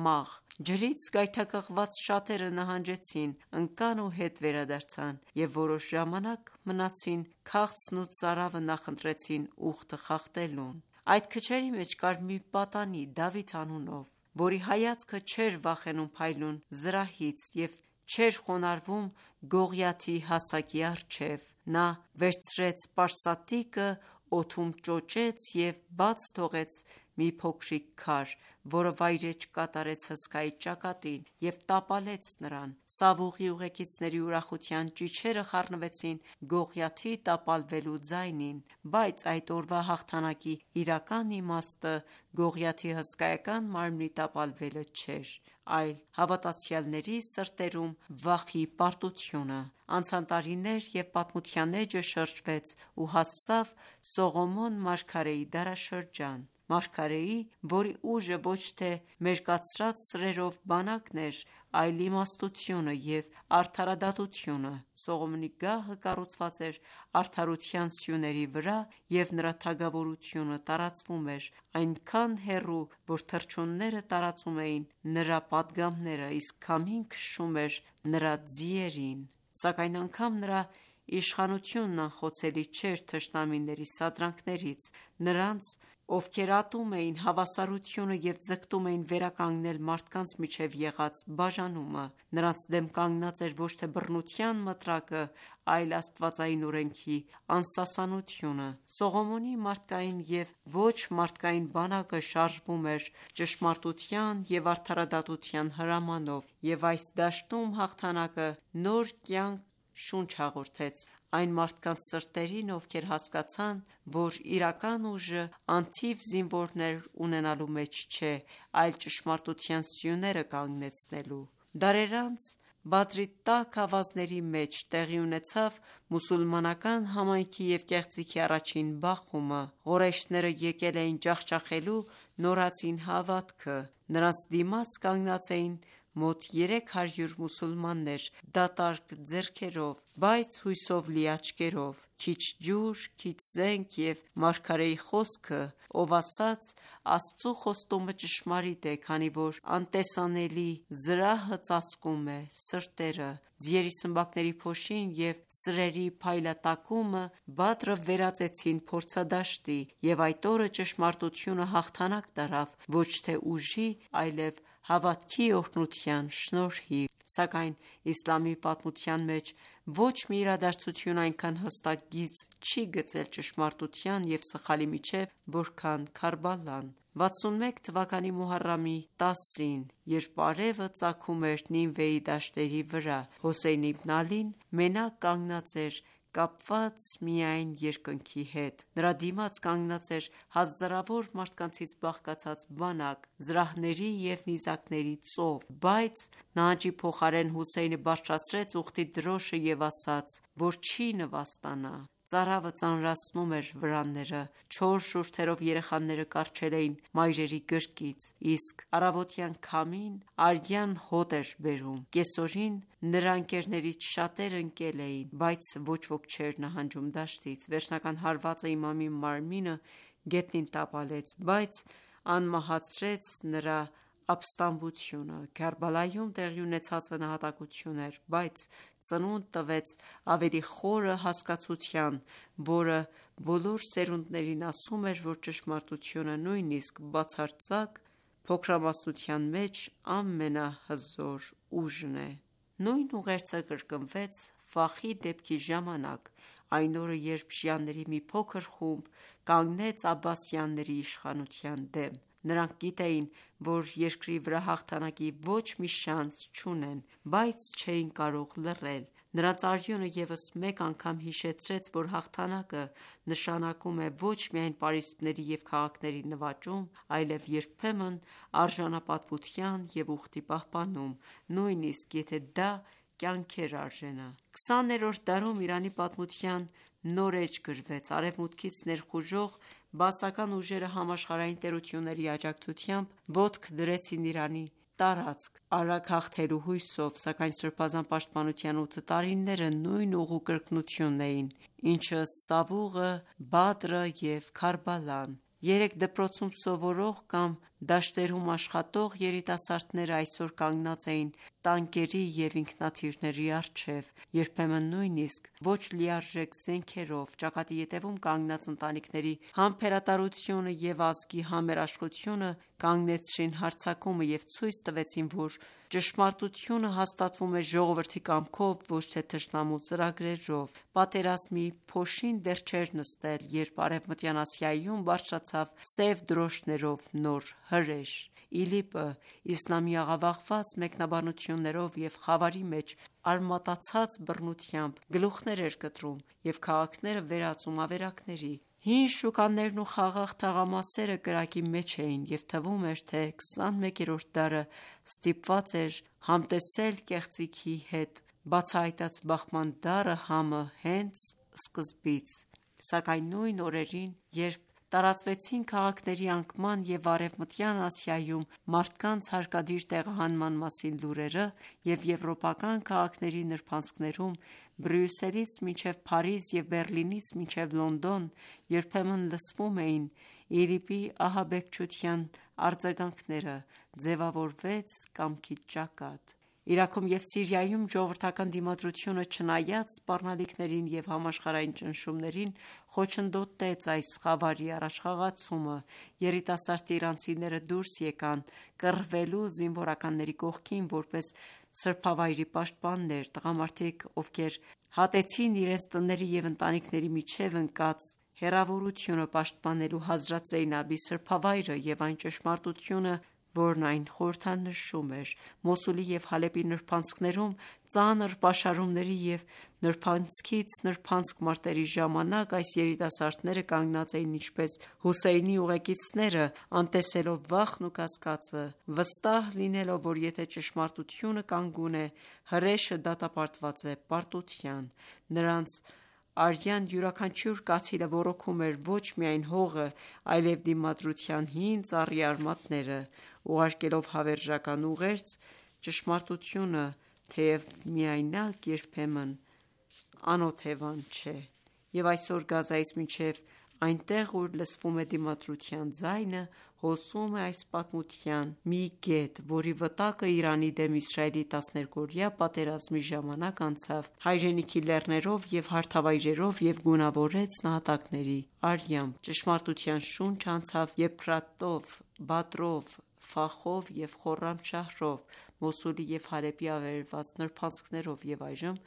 մաղ: Ջրից գայթակղված շատերը նահանջեցին, ընկան ու հետ վերադարձան և որոշ ժամանակ մնացին քաղցն ու ծարավը նախընտրեցին ուխտը խախտելուն: Այդ քչերի մեջ կար մի պատանի Դավիթ անունով, որի հայացքը չէր վախենում փայլուն զրահից և չէր խոնարհվում Գողիաթի հասակի առջև: Նա վերցրեց պարսատիկը, օդում ճոճեց և բաց թողեց մի փոքրիկ քար, որը վայրէջք կատարեց հսկայի ճակատին և տապալեց նրան: Սավուղի ուղեկիցների ուրախության ճիչերը խառնվեցին Գողիաթի տապալվելու ձայնին: Բայց այդ օրվա հաղթանակի իրական իմաստը Գողիաթի հսկայական մարմնի տապալվելը չէր, այլ հավատացյալների սրտերում վախի պարտությունը: Անցան տարիներ և պատմության էջը շրջվեց ու հասավ Սողոմոն մարգարեի դարաշրջան: մարգարեի, որի ուժը ոչ թե մերկացրած սրերով բանակն էր, այլ իմաստությունը և արդարադատությունը: Սողոմոնի գահը կառուցված էր արդարության սյուների վրա և նրա թագավորությունը տարածվում էր այնքան հեռու, որ թռչունները տարածում էին նրա պատգամները, իսկ քամին քշում էր նրա ձիերին: Սակայն անգամ նրա իշխանությունն անխոցելի չէր թշնամիների սադրանքներից: Նրանց, ովքեր ատում էին հավասարությունը և ձգտում էին վերականգնել մարդկանց միջև եղած բաժանումը: Նրանց դեմ կանգնած էր ոչ թե բռնության մտրակը, այլ աստվածային օրենքի անսասանությունը: Սողոմոնի մարդկային և ոչ մարդկային բանակը շարժվում էր ճշմարտության և արդարադատության հրամանով և այս դաշտում հաղթանակը նոր կյանք շունչ հաղորդեց այն մարդկանց սրտերին, ովքեր հասկացան, որ իրական ուժը անթիվ զինվորներ ունենալու մեջ չէ, այլ ճշմարտության սյուները կանգնեցնելու: Դարեր անց Բադրի տաք ավազների մեջ տեղի ունեցավ մուսուլմանական համայնքի և կեղծիքի առաջին բախումը: Ղորեյշները եկել էին ջախջախելու նորածին հավատքը: Նրանց դիմաց կանգնած էին մոտ 300 մուսուլմաններ դատարկ ձեռքերով, բայց հույսով լի աչքերով: Քիչ ջուր, քիչ զենք և մարգարեի խոսքը, ով ասաց. «Աստծու խոստումը ճշմարիտ է, քանի որ անտեսանելի զրահը ծածկում է սրտերը»: Ձիերի սմբակների փոշին և սրերի փայլատակումը Բադրը վերածեցին փորձադաշտի և այդ օրը ճշմարտությունը հաղթանակ տարավ ոչ թե ուժի, այլև հավատքի օրհնության շնորհիվ: Սակայն իսլամի պատմության մեջ ոչ մի իրադարձություն այնքան հստակ գիծ չի գծել ճշմարտության և սխալի միջև, որքան Քարբալան: 61 թվականի Մոհարրամի 10-ին, երբ արևը ծագում էր Նինվեի դաշտերի վրա, Հոսեյն իբն Ալին մենակ կանգնած էր կապված միայն երկնքի հետ: Նրա դիմաց կանգնած էր հազարավոր մարդկանցից բաղկացած բանակ, զրահների և նիզակների ծով: Բայց նահանջի փոխարեն Հոսեյնը բարձրացրեց ուղտի դրոշը և ասաց, որ չի նվաստանա: Ծարավը ծանրացնում էր վրանները, չոր շուրթերով երեխաները կառչել էին մայրերի գրկից, իսկ առավոտյան քամին արյան հոտ էր բերում: Կեսօրին նրա ընկերներից շատերը ընկել էին, բայց ոչ ոք չէր նահանջում դաշտից: Վերջնական հարվածը իմամի մարմինը գետնին տապալեց, բայց անմահացրեց նրա ապստամբությունը: Քարբալայում տեղի ունեցածը նահատակություն էր, բայց ծնունդ տվեց ավելի խորը հասկացության, որը բոլոր սերունդներին ասում էր, որ ճշմարտությունը նույնիսկ բացարձակ փոքրամասնության մեջ ամենահզոր ուժն է: Նույն ուղերձը կրկնվեց Ֆախի դեպքի ժամանակ, այն օրը, երբ շիաների մի փոքր խումբ կանգնեց աբբասյանների իշխանության դեմ: Նրանք գիտեին, որ երկրի վրա հաղթանակի ոչ մի շանս չունեն, բայց չէին կարող լռել: Նրանց արյունը ևս մեկ անգամ հիշեցրեց, որ հաղթանակը նշանակում է ոչ միայն պարիսպների և քաղաքների նվաճում, այլև երբեմն արժանապատվության և ուխտի պահպանում, նույնիսկ եթե դա կյանքեր արժենա: 20-րդ դարում Իրանի պատմության նոր էջ գրվեց: Արևմուտքից ներխուժող բաասական ուժերը համաշխարհային տերությունների աջակցությամբ ոտք դրեցին Իրանի տարածք արագ հաղթելու հույսով: Սակայն Սրբազան պաշտպանության 8 տարիները նույն ուղու կրկնությունն էին, ինչը Սավուղը, Բադրը և Քարբալան: Երեք դպրոցում սովորող կամ դաշտերում աշխատող երիտասարդները այսօր կանգնած էին տանկերի և ինքնաթիռների առջև, երբեմն նույնիսկ ոչ լիարժեք զենքերով: Ճակատի ետևում կանգնած ընտանիքների համբերատարությունը և ազգի համերաշխությունը կանգնեցրին հարձակումը և ցույց տվեցին, որ ճշմարտությունը հաստատվում է ժողովրդի կամքով, ոչ թե թշնամու ծրագրերով: Պատերազմի փոշին դեռ չէր նստել, երբ Արևմտյան Ասիայում բարձրացավ սև դրոշներով նոր հրեշ: ԻԼԻՊ-ը իսլամի աղավաղված մեկնաբանություններով և խավարի մեջ արմատացած բռնությամբ գլուխներ էր կտրում և քաղաքները վերածում ավերակների: Հին շուկաներն ու խաղաղ թաղամասերը կրակի մեջ էին և թվում էր, թե 21-րդ դարը ստիպված էր համտեսել կեղծիքի հետ: Բացահայտած բախման դառը համը հենց սկզբից: Սակայն նույն օրերին, երբ տարածվեցին քաղաքների անկման և Արևմտյան Ասիայում մարդկանց հարկադիր տեղահանման մասին լուրերը և եվրոպական քաղաքների նրբանցքներում Բրյուսելից մինչև Փարիզ և Բեռլինից մինչև Լոնդոն երբեմն լսվում էին ԻԼԻՊ-ի ահաբեկչության արձագանքները, ձևավորվեց կամքի ճակատ: Իրաքում և Սիրիայում ժողովրդական դիմադրությունը, չնայած սպառնալիքներին և համաշխարհային ճնշումներին, խոչընդոտեց այս խավարի առաջխաղացումը: Երիտասարդ իրանցիները դուրս եկան կռվելու զինվորականների կողքին, որպես սրբավայրի պաշտպաններ: Տղամարդիկ, ովքեր հատեցին իրենց տների և ընտանիքների միջև ընկած հեռավորությունը՝ պաշտպանելու Հազրաթ Զեյնաբի սրբավայրը և այն ճշմարտությունը, որն այն խորհրդանշում էր: Մոսուլի և Հալեպի նրբանցքներում ծանր պաշարումների և նրբանցքից նրբանցք մարտերի ժամանակ այս երիտասարդները կանգնած էին ինչպես Հոսեյնի ուղեկիցները, անտեսելով վախն ու կասկածը, վստահ լինելով, որ եթե ճշմարտությունը կանգուն է, հրեշը դատապարտված է պարտության: Նրանց արյան յուրաքանչյուր կաթիլը ոռոգում էր ոչ միայն հողը, այլև դիմադրության հին ծառի արմատները: Ուղարկելով հավերժական ուղերձ, ճշմարտությունը, թեև միայնակ, երբեմն անօթևան չէ: Եվ այսօր Գազայից մինչև այնտեղ, ուր լսվում է դիմադրության ձայնը, հոսում է այս պատմության մի կետ, որի վտակը Իրանի դեմ Իսրայելի 12-օրյա պատերազմի ժամանակ անցավ հայրենիքի լեռներով և հարթավայրերով և գունավորեց նահատակների արյամբ: Ճշմարտության շունչը անցավ Եփրատով, Բադրով, Ֆախով և Խորրամշահրով, Մոսուլի և Հալեպի ավերված նրբանցքներով և այժմ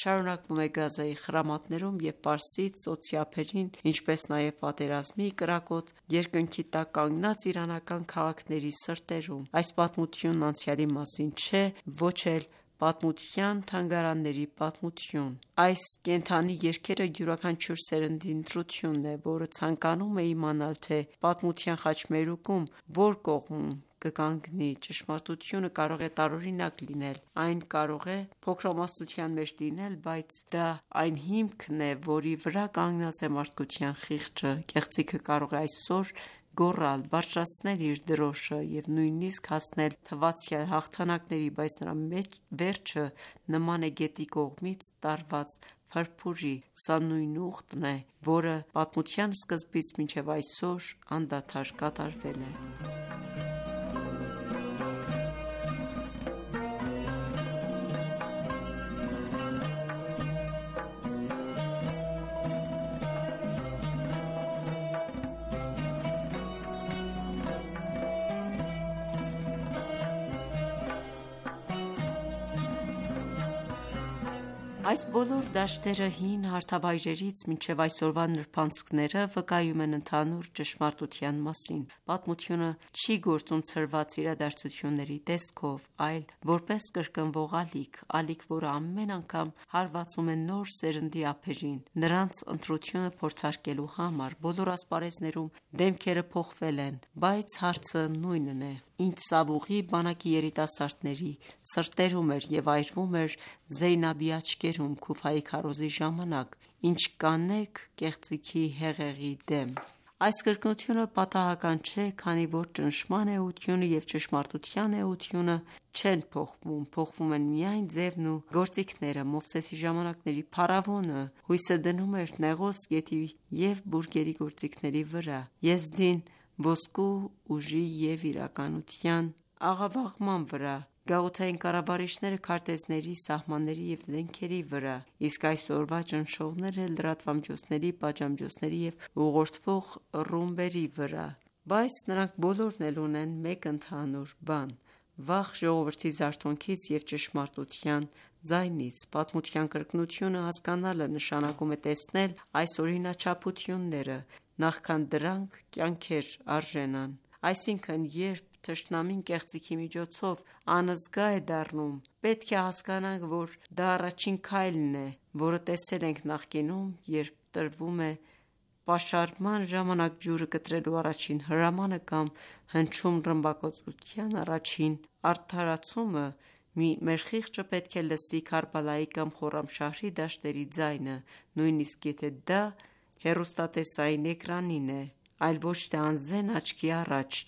շարունակվում է Գազայի խրամատներում և Պարսից ծոցի ափերին, ինչպես նաև պատերազմի կրակոտ երկնքի տակ կանգնած իրանական քաղաքների սրտերում: Այս պատմությունն անցյալի մասին չէ, ոչ էլ պատմության թանգարանների պատմություն: Այս կենդանի երգերը յուրաքանչյուր սերնդի ընտրությունն է, որը ցանկանում է իմանալ, թե պատմության խաչմերուկում որ կողմում կկանգնի: Ճշմարտությունը կարող է տարօրինակ լինել, այն կարող է փոքրամասնության մեջ լինել, բայց դա այն հիմքն է, որի վրա կանգնած է մարդկության խիղճը: Կեղծիքը կարող է այսօր գոռալ, բարձրացնել իր դրոշը և նույնիսկ հասնել թվացյալ հաղթանակների, բայց նրա վերջը նման է գետի կողմից տարված փրփուրի: Սա նույն ուխտն է, որը պատմության սկզբից մինչև այսօր անդադար կատարվել է: Այս բոլոր դաշտերը հին հարթավայրերից մինչև այսօրվա նրբանցքները վկայում են ընդհանուր ճշմարտության մասին: Պատմությունը չի գործում ցրված իրադարձությունների տեսքով, այլ որպես կրկնվող ալիք, որը ամեն անգամ հարվածում է նոր սերնդի ափերին, նրանց ընտրությունը փորձարկելու համար: Բոլոր ասպարեզներում դեմքերը փոխվել են, բայց հարցը նույնն է, ինչ Սավուղի բանակի երիտասարդների սրտերում էր և այրվում էր Զեյնաբի աչքերում Քուֆայի քարոզի ժամանակ: Ինչ կանեք կեղծիքի հեղեղի դեմ: Այս կրկնությունը պատահական չէ, քանի որ ճնշման էությունը և ճշմարտության էությունը չեն փոխվում, փոխվում են միայն ձևն ու գործիքները: Մովսեսի ժամանակների փարավոնը հույսը դնում էր Նեղոս գետի և բուրգերի գործիքների վրա, Եզդին ոսկու ուժի և իրականության աղավաղման վրա, գաղութային կառավարիչները քարտեզների, սահմանների և զենքերի վրա, իսկ այսօրվա ճնշողները լրատվամիջոցների, պատժամիջոցների և ուղղորդվող ռումբերի վրա: Բայց նրանք բոլորն էլ ունեն մեկ ընդհանուր բան՝ վախ ժողովրդի զարթոնքից և ճշմարտության ձայնից: Պատմության կրկնությունը հասկանալը նշանակում է տեսնել այս օրինաչափությունները, նախքան դրանք կյանքեր արժենան: Այսինքն, երբ թշնամին կեղծիքի միջոցով անզգա է դառնում, պետք է հասկանանք, որ դա առաջին քայլն է, որը տեսել ենք նախկինում, երբ տրվում է պաշարման ժամանակ ջուրը կտրելու առաջին հրամանը կամ հնչում ռմբակոծության առաջին արդարացումը, մեր խիղճը պետք է լսի Քարբալայի կամ Խորրամշահրի դաշտերի ձայնը, նույնիսկ եթե դա հեռուստատեսային էկրանին է: այլ ոչ թե անզեն աչքի առաջ,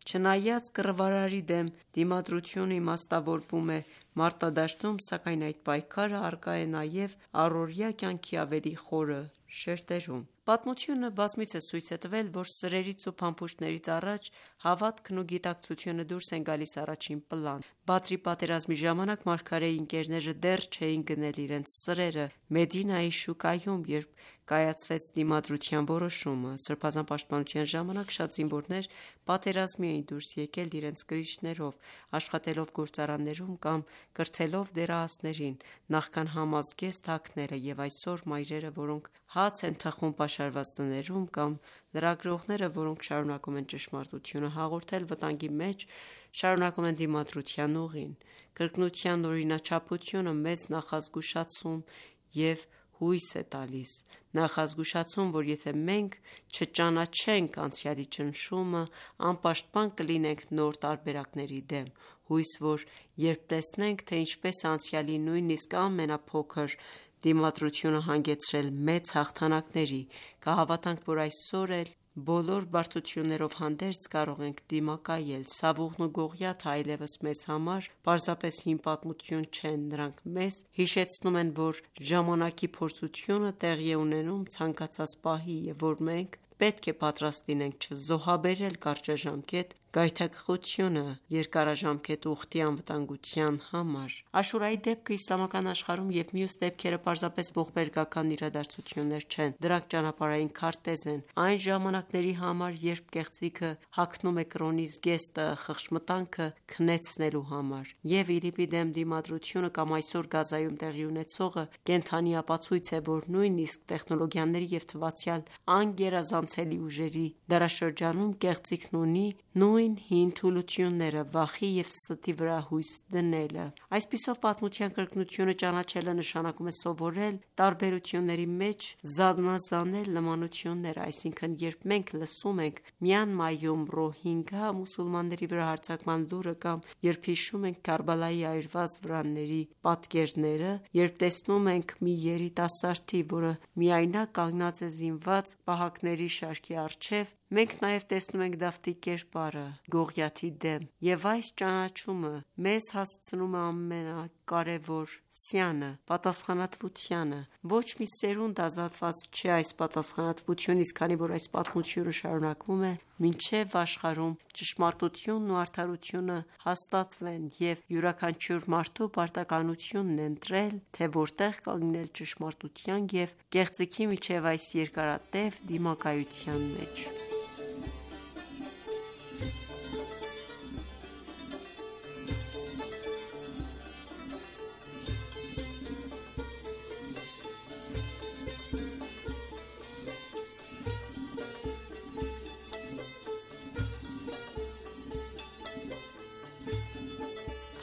չնայած կռվարարի դեմ դիմադրությունը իմաստավորվում է մարտադաշտում, սակայն այդ պայքարը առկա է նաև առօրյա կյանքի ավելի խորը շերտերում։ Պատմությունը բազմիցս ցույց է տվել, որ սրերից ու փամփուշտներից առաջ հավատքն ու գիտակցությունը դուրս են գալիս առաջին պլան։ Բադրի պատերազմի ժամանակ մարգարեի ընկերները դեռ չէին գնել իրենց սրերը Մեդինայի շուկայում, երբ կայացվեց դիմադրության որոշումը։ Սրբազան պաշտպանության ժամանակ շատ զինվորներ պատերազմի էին դուրս եկել իրենց կրիչներով, աշխատելով գործարաններում կամ կրթելով դեռահասներին, նախքան համազգեստ հագները, և այսօր մայրերը, որոնք հաց են թխում պաշարված տներում, կամ լրագրողները, որոնք շարունակում են ճշմարտությունը հաղորդել վտանգի մեջ, շարունակում են դիմադրության ուղին։ Կրկնության օրինաչափությունը մեծ նախազգուշացում և հույս է տալիս, նախազգուշացում, որ եթե մենք չճանաչենք անցյալի ճնշումը, անպաշտպան կլինենք նոր տարբերակների դեմ, հույս, որ երբ տեսնենք, թե ինչպես է անցյալի նույնիսկ ամենափոքր դիմադրությունը հանգեցրել մեծ հաղթանակների, կհավատանք, որ այսօր էլ բոլոր բարդություններով հանդերձ կարող ենք դիմակայել։ Սավուղն ու Գողիաթը այլևս մեզ համար պարզապես հին պատմություն չեն, նրանք մեզ հիշեցնում են, որ ժամանակի փորձությունը տեղի է ունենում ցանկացած պահի, և որ մենք պետք է պատրաստ լինենք չզոհաբերել կարճաժամկետ գայթակղությունը երկարաժամկետ ուխտի անվտանգության համար։ Աշուրայի դեպքը իսլամական աշխարհում և մյուս դեպքերը պարզապես ողբերգական իրադարձություններ չեն, դրանք ճանապարհային քարտեզ են այն ժամանակների համար, երբ կեղծիքը հագնում է կրոնի զգեստը խղճմտանքը քնեցնելու համար, և ԻԼԻՊ-ի դեմ դիմադրությունը կամ այսօր Գազայում տեղի ունեցողը կենդանի ապացույց է, որ նույնիսկ տեխնոլոգիաների և թվացյալ անգերազանցելի ուժերի դարաշրջանում կեղծիքն ունի նույն հին թուլությունները՝ վախի և ստի վրա հույս դնելը։ Այսպիսով, պատմության կրկնությունը ճանաչելը նշանակում է սովորել տարբերությունների մեջ զանազանել նմանությունները, այսինքն, երբ մենք լսում ենք Մյանմայում ռոհինգա մուսուլմանների վրա հարձակման լուրը կամ երբ հիշում ենք Քարբալայի այրված վրանների պատկերները, երբ տեսնում ենք մի երիտասարդի, որը միայնակ կանգնած է զինված պահակների շարքի առջև, մենք նաև տեսնում ենք Դավթի կերպարը Գողիաթի դեմ, և այս ճանաչումը մեզ հասցնում է ամենակարևոր սյանը՝ պատասխանատվությանը։ Ոչ մի սերունդ ազատված չէ այս պատասխանատվությունից, քանի որ այս պատմությունը շարունակվում է մինչև աշխարհում ճշմարտությունն ու արդարությունը հաստատվեն, և յուրաքանչյուր մարդու պարտականությունն է ընտրել, թե որտեղ կանգնել ճշմարտության և կեղծիքի միջև այս երկարատև դիմակայության մեջ։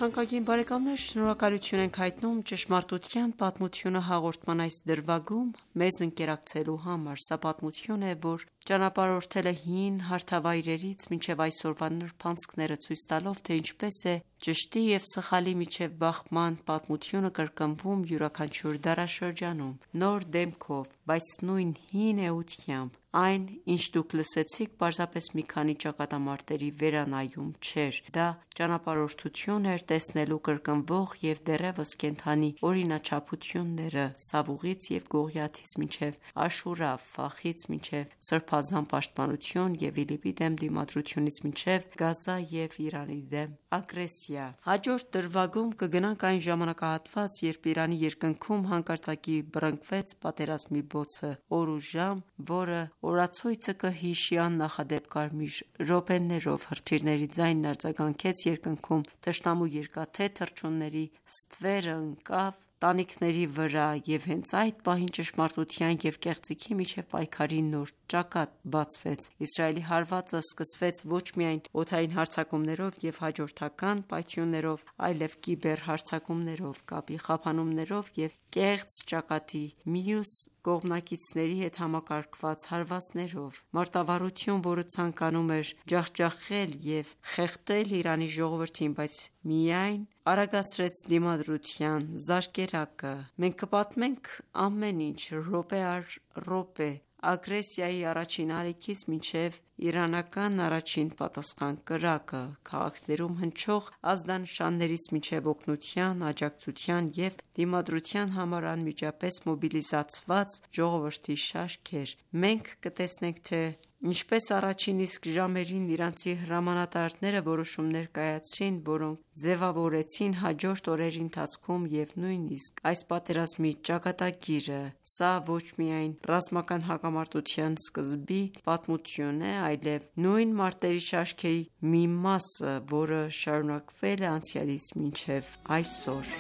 Թանկագին բարեկամներ, շնորհակալություն ենք հայտնում «Ճշմարտության պատմությունը» հաղորդման այս դրվագում մեզ ընկերակցելու համար։ Սա պատմություն է, որ ճանապարհորդել է հին հարթավայրերից մինչև այսօրվա նրբանցքները, ցույց տալով, թե ինչպես է ճշտի և սխալի միջև բախման պատմությունը կրկնվում յուրաքանչյուր դարաշրջանում, նոր դեմքով, բայց նույն հին էությամբ։ Այն, ինչ դուք լսեցիք, պարզապես մի քանի ճակատամարտերի վերանայում չէր, դա ճանապարհորդություն էր տեսնելու կրկնվող և դեռևս կենդանի օրինաչափությունները Սավուղից և Գողիաթից մինչև Աշուրա, Ֆախից մինչև Սրբազան պաշտպանություն և ԻԼԻՊ-ի դեմ դիմադրությունից մինչև Գազա և Իրանի դեմ ագրեսիա։ Հաջորդ դրվագում կգնանք այն ժամանակահատված, երբ Իրանի երկնքում հանկարծակի բռնկվեց պատերազմի բոցը, օր ու ժամ, որը օրացույցը կհիշի աննախադեպ կարմիր րոպեներով, հրթիռների ձայնն արձագանքեց երկնքում, թշնամու երկաթե թռչունների ստվերը ընկավ տանիքների վրա, և հենց այդ պահին ճշմարտության և կեղծիքի միջև պայքարի նոր ճակատ բացվեց։ Իսրայելի հարվածը սկսվեց ոչ միայն օդային հարձակումներով և հաջորդական պայթյուններով, այլև կիբերհարձակումներով, կապի խափանումներով և կեղծ ճակատի մյուս կողմնակիցների հետ համակարգված հարվածներով։ Մարտավարություն, որը ցանկանում էր ջախջախել և խեղդել Իրանի ժողովրդին, բայց միայն արագացրեց դիմադրության զարկերակը։ Մենք կպատմենք ամեն ինչ րոպե առ րոպե ագրեսիայի առաջին ալիքից մինչև իրանական առաջին պատասխան կրակը, քաղաքներում հնչող ազդանշաններից մինչև օգնության, աջակցության և դիմադրության համար անմիջապես մոբիլիզացված ժողովրդի շարքեր։ Մենք կտեսնենք, թե ինչպես առաջին իսկ ժամերին իրանցի հրամանատարները որոշումներ կայացրին, որոնք ձևավորեցին հաջորդ օրերի ընթացքում և նույնիսկ այս պատերազմի ճակատագիրը։ Սա ոչ միայն ռազմական հակամարտության սկզբի պատմություն է, այլև նույն մարտերի շարքերի մի մասը, որը շարունակվել է անցյալից մինչև այսօր։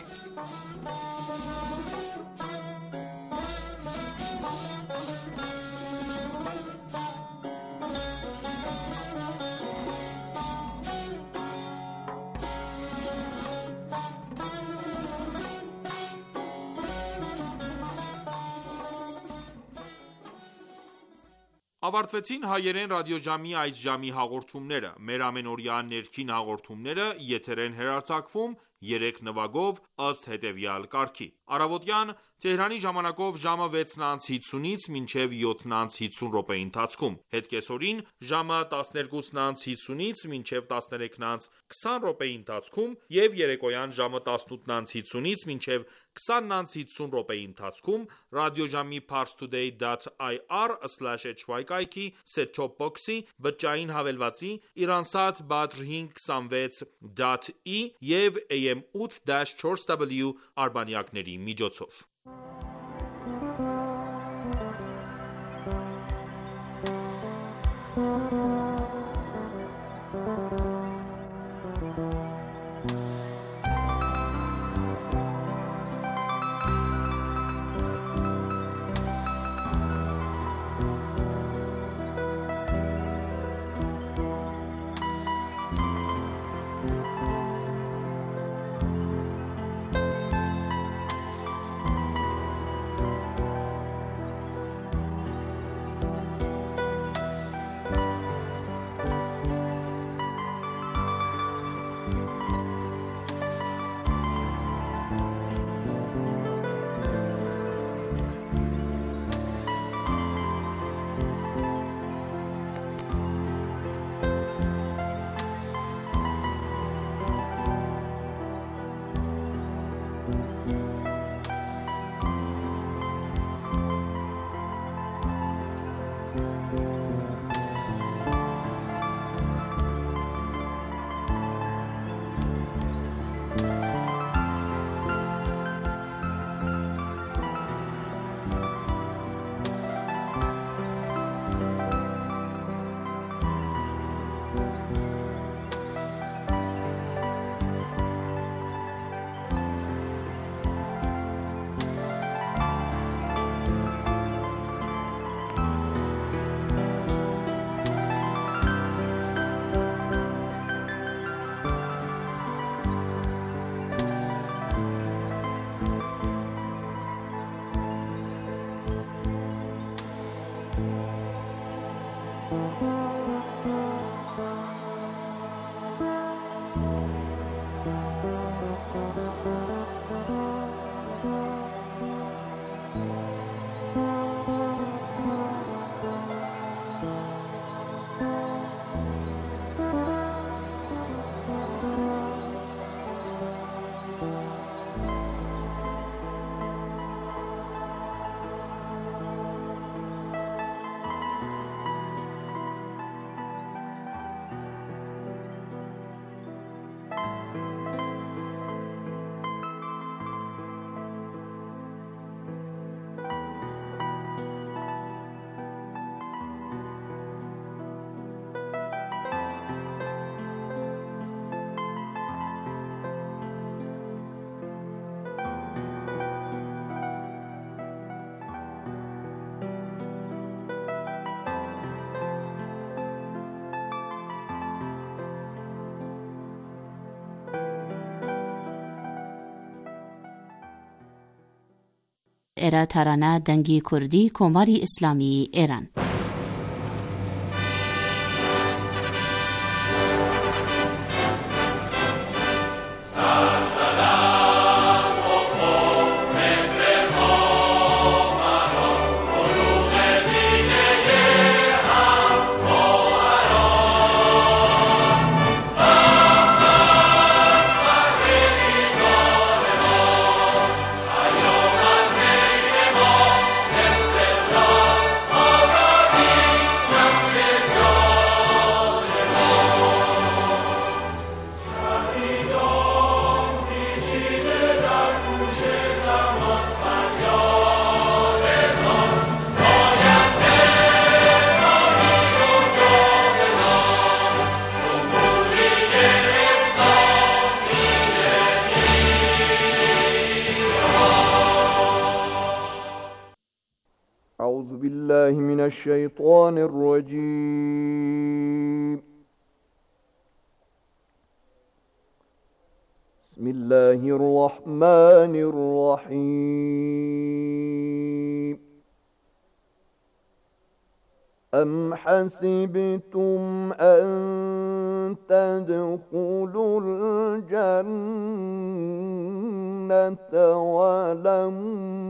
Ավարտվեցին հայերեն ռադիոժամի այս ժամի հաղորդումները։ Մեր ամենօրյա ներքին հաղորդումները եթեր են հեռարձակվում 3 նվագով ըստ հետևյալ կարգի. Առավոտյան Թեհրանի ժամանակով ժամը 6:50-ից մինչև 7:50 րոպեի ընթացքում, հետկեսօրին ժամը 12:50-ից մինչև 13:20 րոպեի ընթացքում և երեկոյան ժամը 18:50-ից մինչև 20:50 րոպեի ընթացքում ռադիոժամի parstoday.ir/hy կայքի set-top box-ի, բջջային հավելվածի, Iransat Badr 526.E և AM 8-4W արբանյակների միջոցով։ Էրաթարանա դանգի քուրդի կոմարի իսլամի Էրան أعوذ بالله من الشيطان الرجيم بسم الله الرحمن الرحيم أم حسبتم أن تدخلوا الجنة ولما